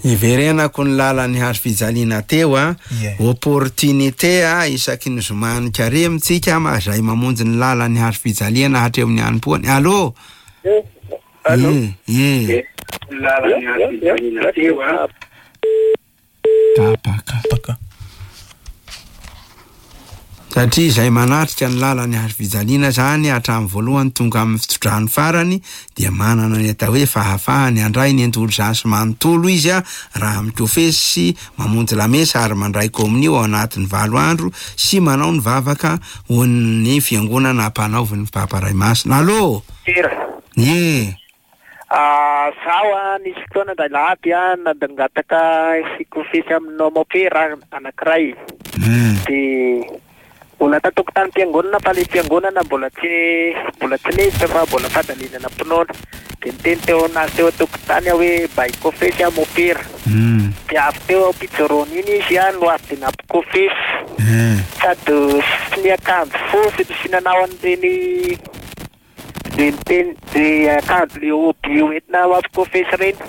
Iverenako ny lalan'ny hazo fijaliana teo a, opportunité a, isaky ny zoma ny karemy tsika ma zay mamonjy ny lalan'ny hazo fijaliana hatreo amin'ny hanim-poany. Allô? Allô? Ye. Lalan'ny hazo fijaliana teo a. Tapaka. Tapaka. Satria izay manatrika ny lalan'ny hazo fijaliana zany hatramin'ny voalohany tonga amin'ny fitsodrano farany dia manana ny atao hoe fahafahany handray ny endolzasy manontolo izy a, raha mikofesy sy mamonjy lamesa ary mandray komonio ao anatin'ny valo andro sy manao ny vavaka ho an'ny fiangonana ampanaovin'ny Papa Ray Masina. Allô? Tera. Ye. Ah, zaho a nisy fotoana indray lahaby a nangataka hikofesy aminao mopera anankiray. Dia mbola tatokotanim-piangonana fa le fiangonana mbola tsy mbola tsy niditra fa mbola fandalinana mpinoana. Dia niteny teo anazy teo an-tokotany aho hoe mba hikofesy aho mopera. Dia avy teo am-pijoroana iny izy a no avy dia nampikofesy. Sady sy niakanjo fotsy sy nanao an'ireny de niteny de akanjo le hoby hoentina mampikofesy ireny.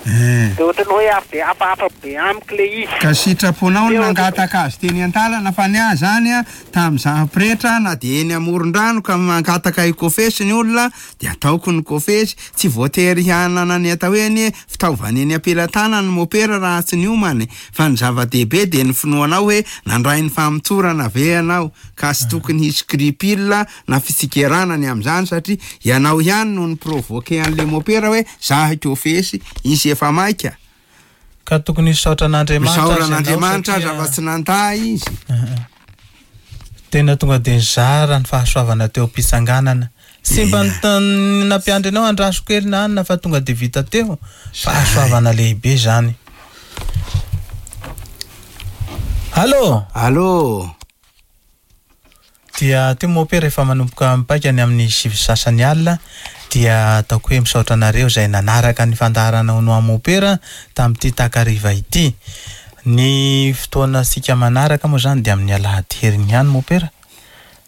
Dia ohatran'ny hoe avy dia hafahafa be amiko le izy. Ka sitraponao no nangataka azy teny an-dalana fa ny ahy zany a tamin'izaho pretra na dia eny amoron-drano ka mangataka hikofesy ny olona dia ataoko ny kofesy, tsy voatery hanana ny atao hoe anie fitaovana eny am-pelatanana ny mopera raha tsy niomana, fa ny zava-dehibe dia ny finoanao hoe nandray ny famotorana ve ianao, ka tsy tokony hisy scrupule na fitsikerana ny amin'izany satria ianao ihany no ni-provoquer an'le mopera hoe zaho hikofesy, izy efa maika. Ka tokony hisaotra an'Andriamanitra Misaotra azy ianao an'Andriamanitra satria aza fa tsy nandà izy. Tena tonga dia nizara ny fahasoavana teo am-pitsanganana. Tsy mba nita-, nampiandry anao andraso kely na anona fa tonga dia vita teo. Fahasoavana lehibe zany. Allô? Allô? Dia teo moa rehefa manomboka mipaika ny amin'ny sivy sasany alina dia ataoko hoe misaotra anareo izay nanaraka ny fandaharana ho noa mopera tamin'ity takariva ity. Ny fotoana sika manaraka moa zany dia amin'ny alahady heriny ihany mopera.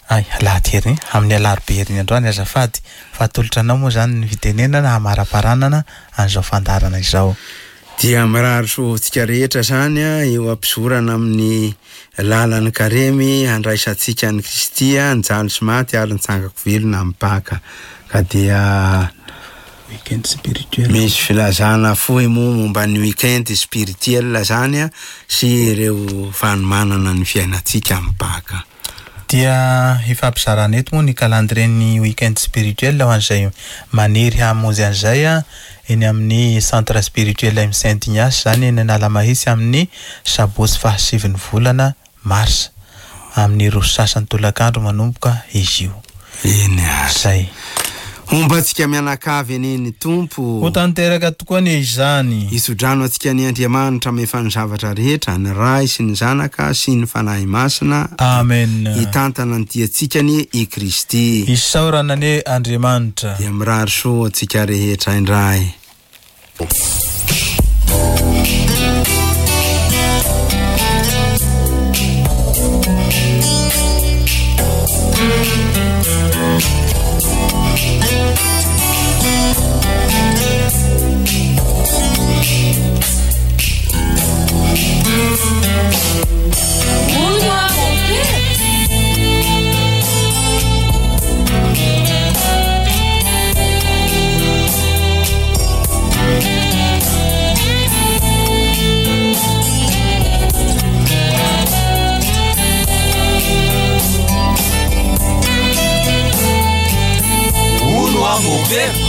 Ay, alahady heriny, amin'ny alarobia heriny androany azafady. Fa atolotra anao moa zany ny fitenenana hamaraparanana an'izao fandaharana izao. Dia mirary soa antsika rehetra zany a, eo am-pizorana amin'ny lalan'ny karemy handraisantsika an'i Kristy a, nijaly sy maty ary nitsangako velona amin'ny Paka. Ka dia weekend spirituel. Misy filazana fohy moa momba ny weekend spirituel zany a, sy ireo fanomanana ny fiainantsika amin'ny Paka. Dia ifampizarana eto moa ny calendrier-n'ny weekend spirituel ho an'izay maniry hamonjy an'izay a, eny amin'ny centre spirituel M Saint Ignace zany eny Analamahitsy amin'ny sabotsy fahasivin'ny volana marsa amin'ny roa sasany tolakandro manomboka izy io. Eny ary. Zay. Homba antsika mianakavy anie ny Tompo. Ho tanteraka tokoa anie izany. Hitsodrano antsika ny Andriamanitra mahefa ny zavatra rehetra, ny Ray sy ny Zanaka sy ny Fanahy Masina. Amen. Hitantana ny diantsika anie i Kristy. Isaorana anie Andriamanitra. Dia mirary soa antsika rehetra indray. Hono aho mompera. Hono aho mompera.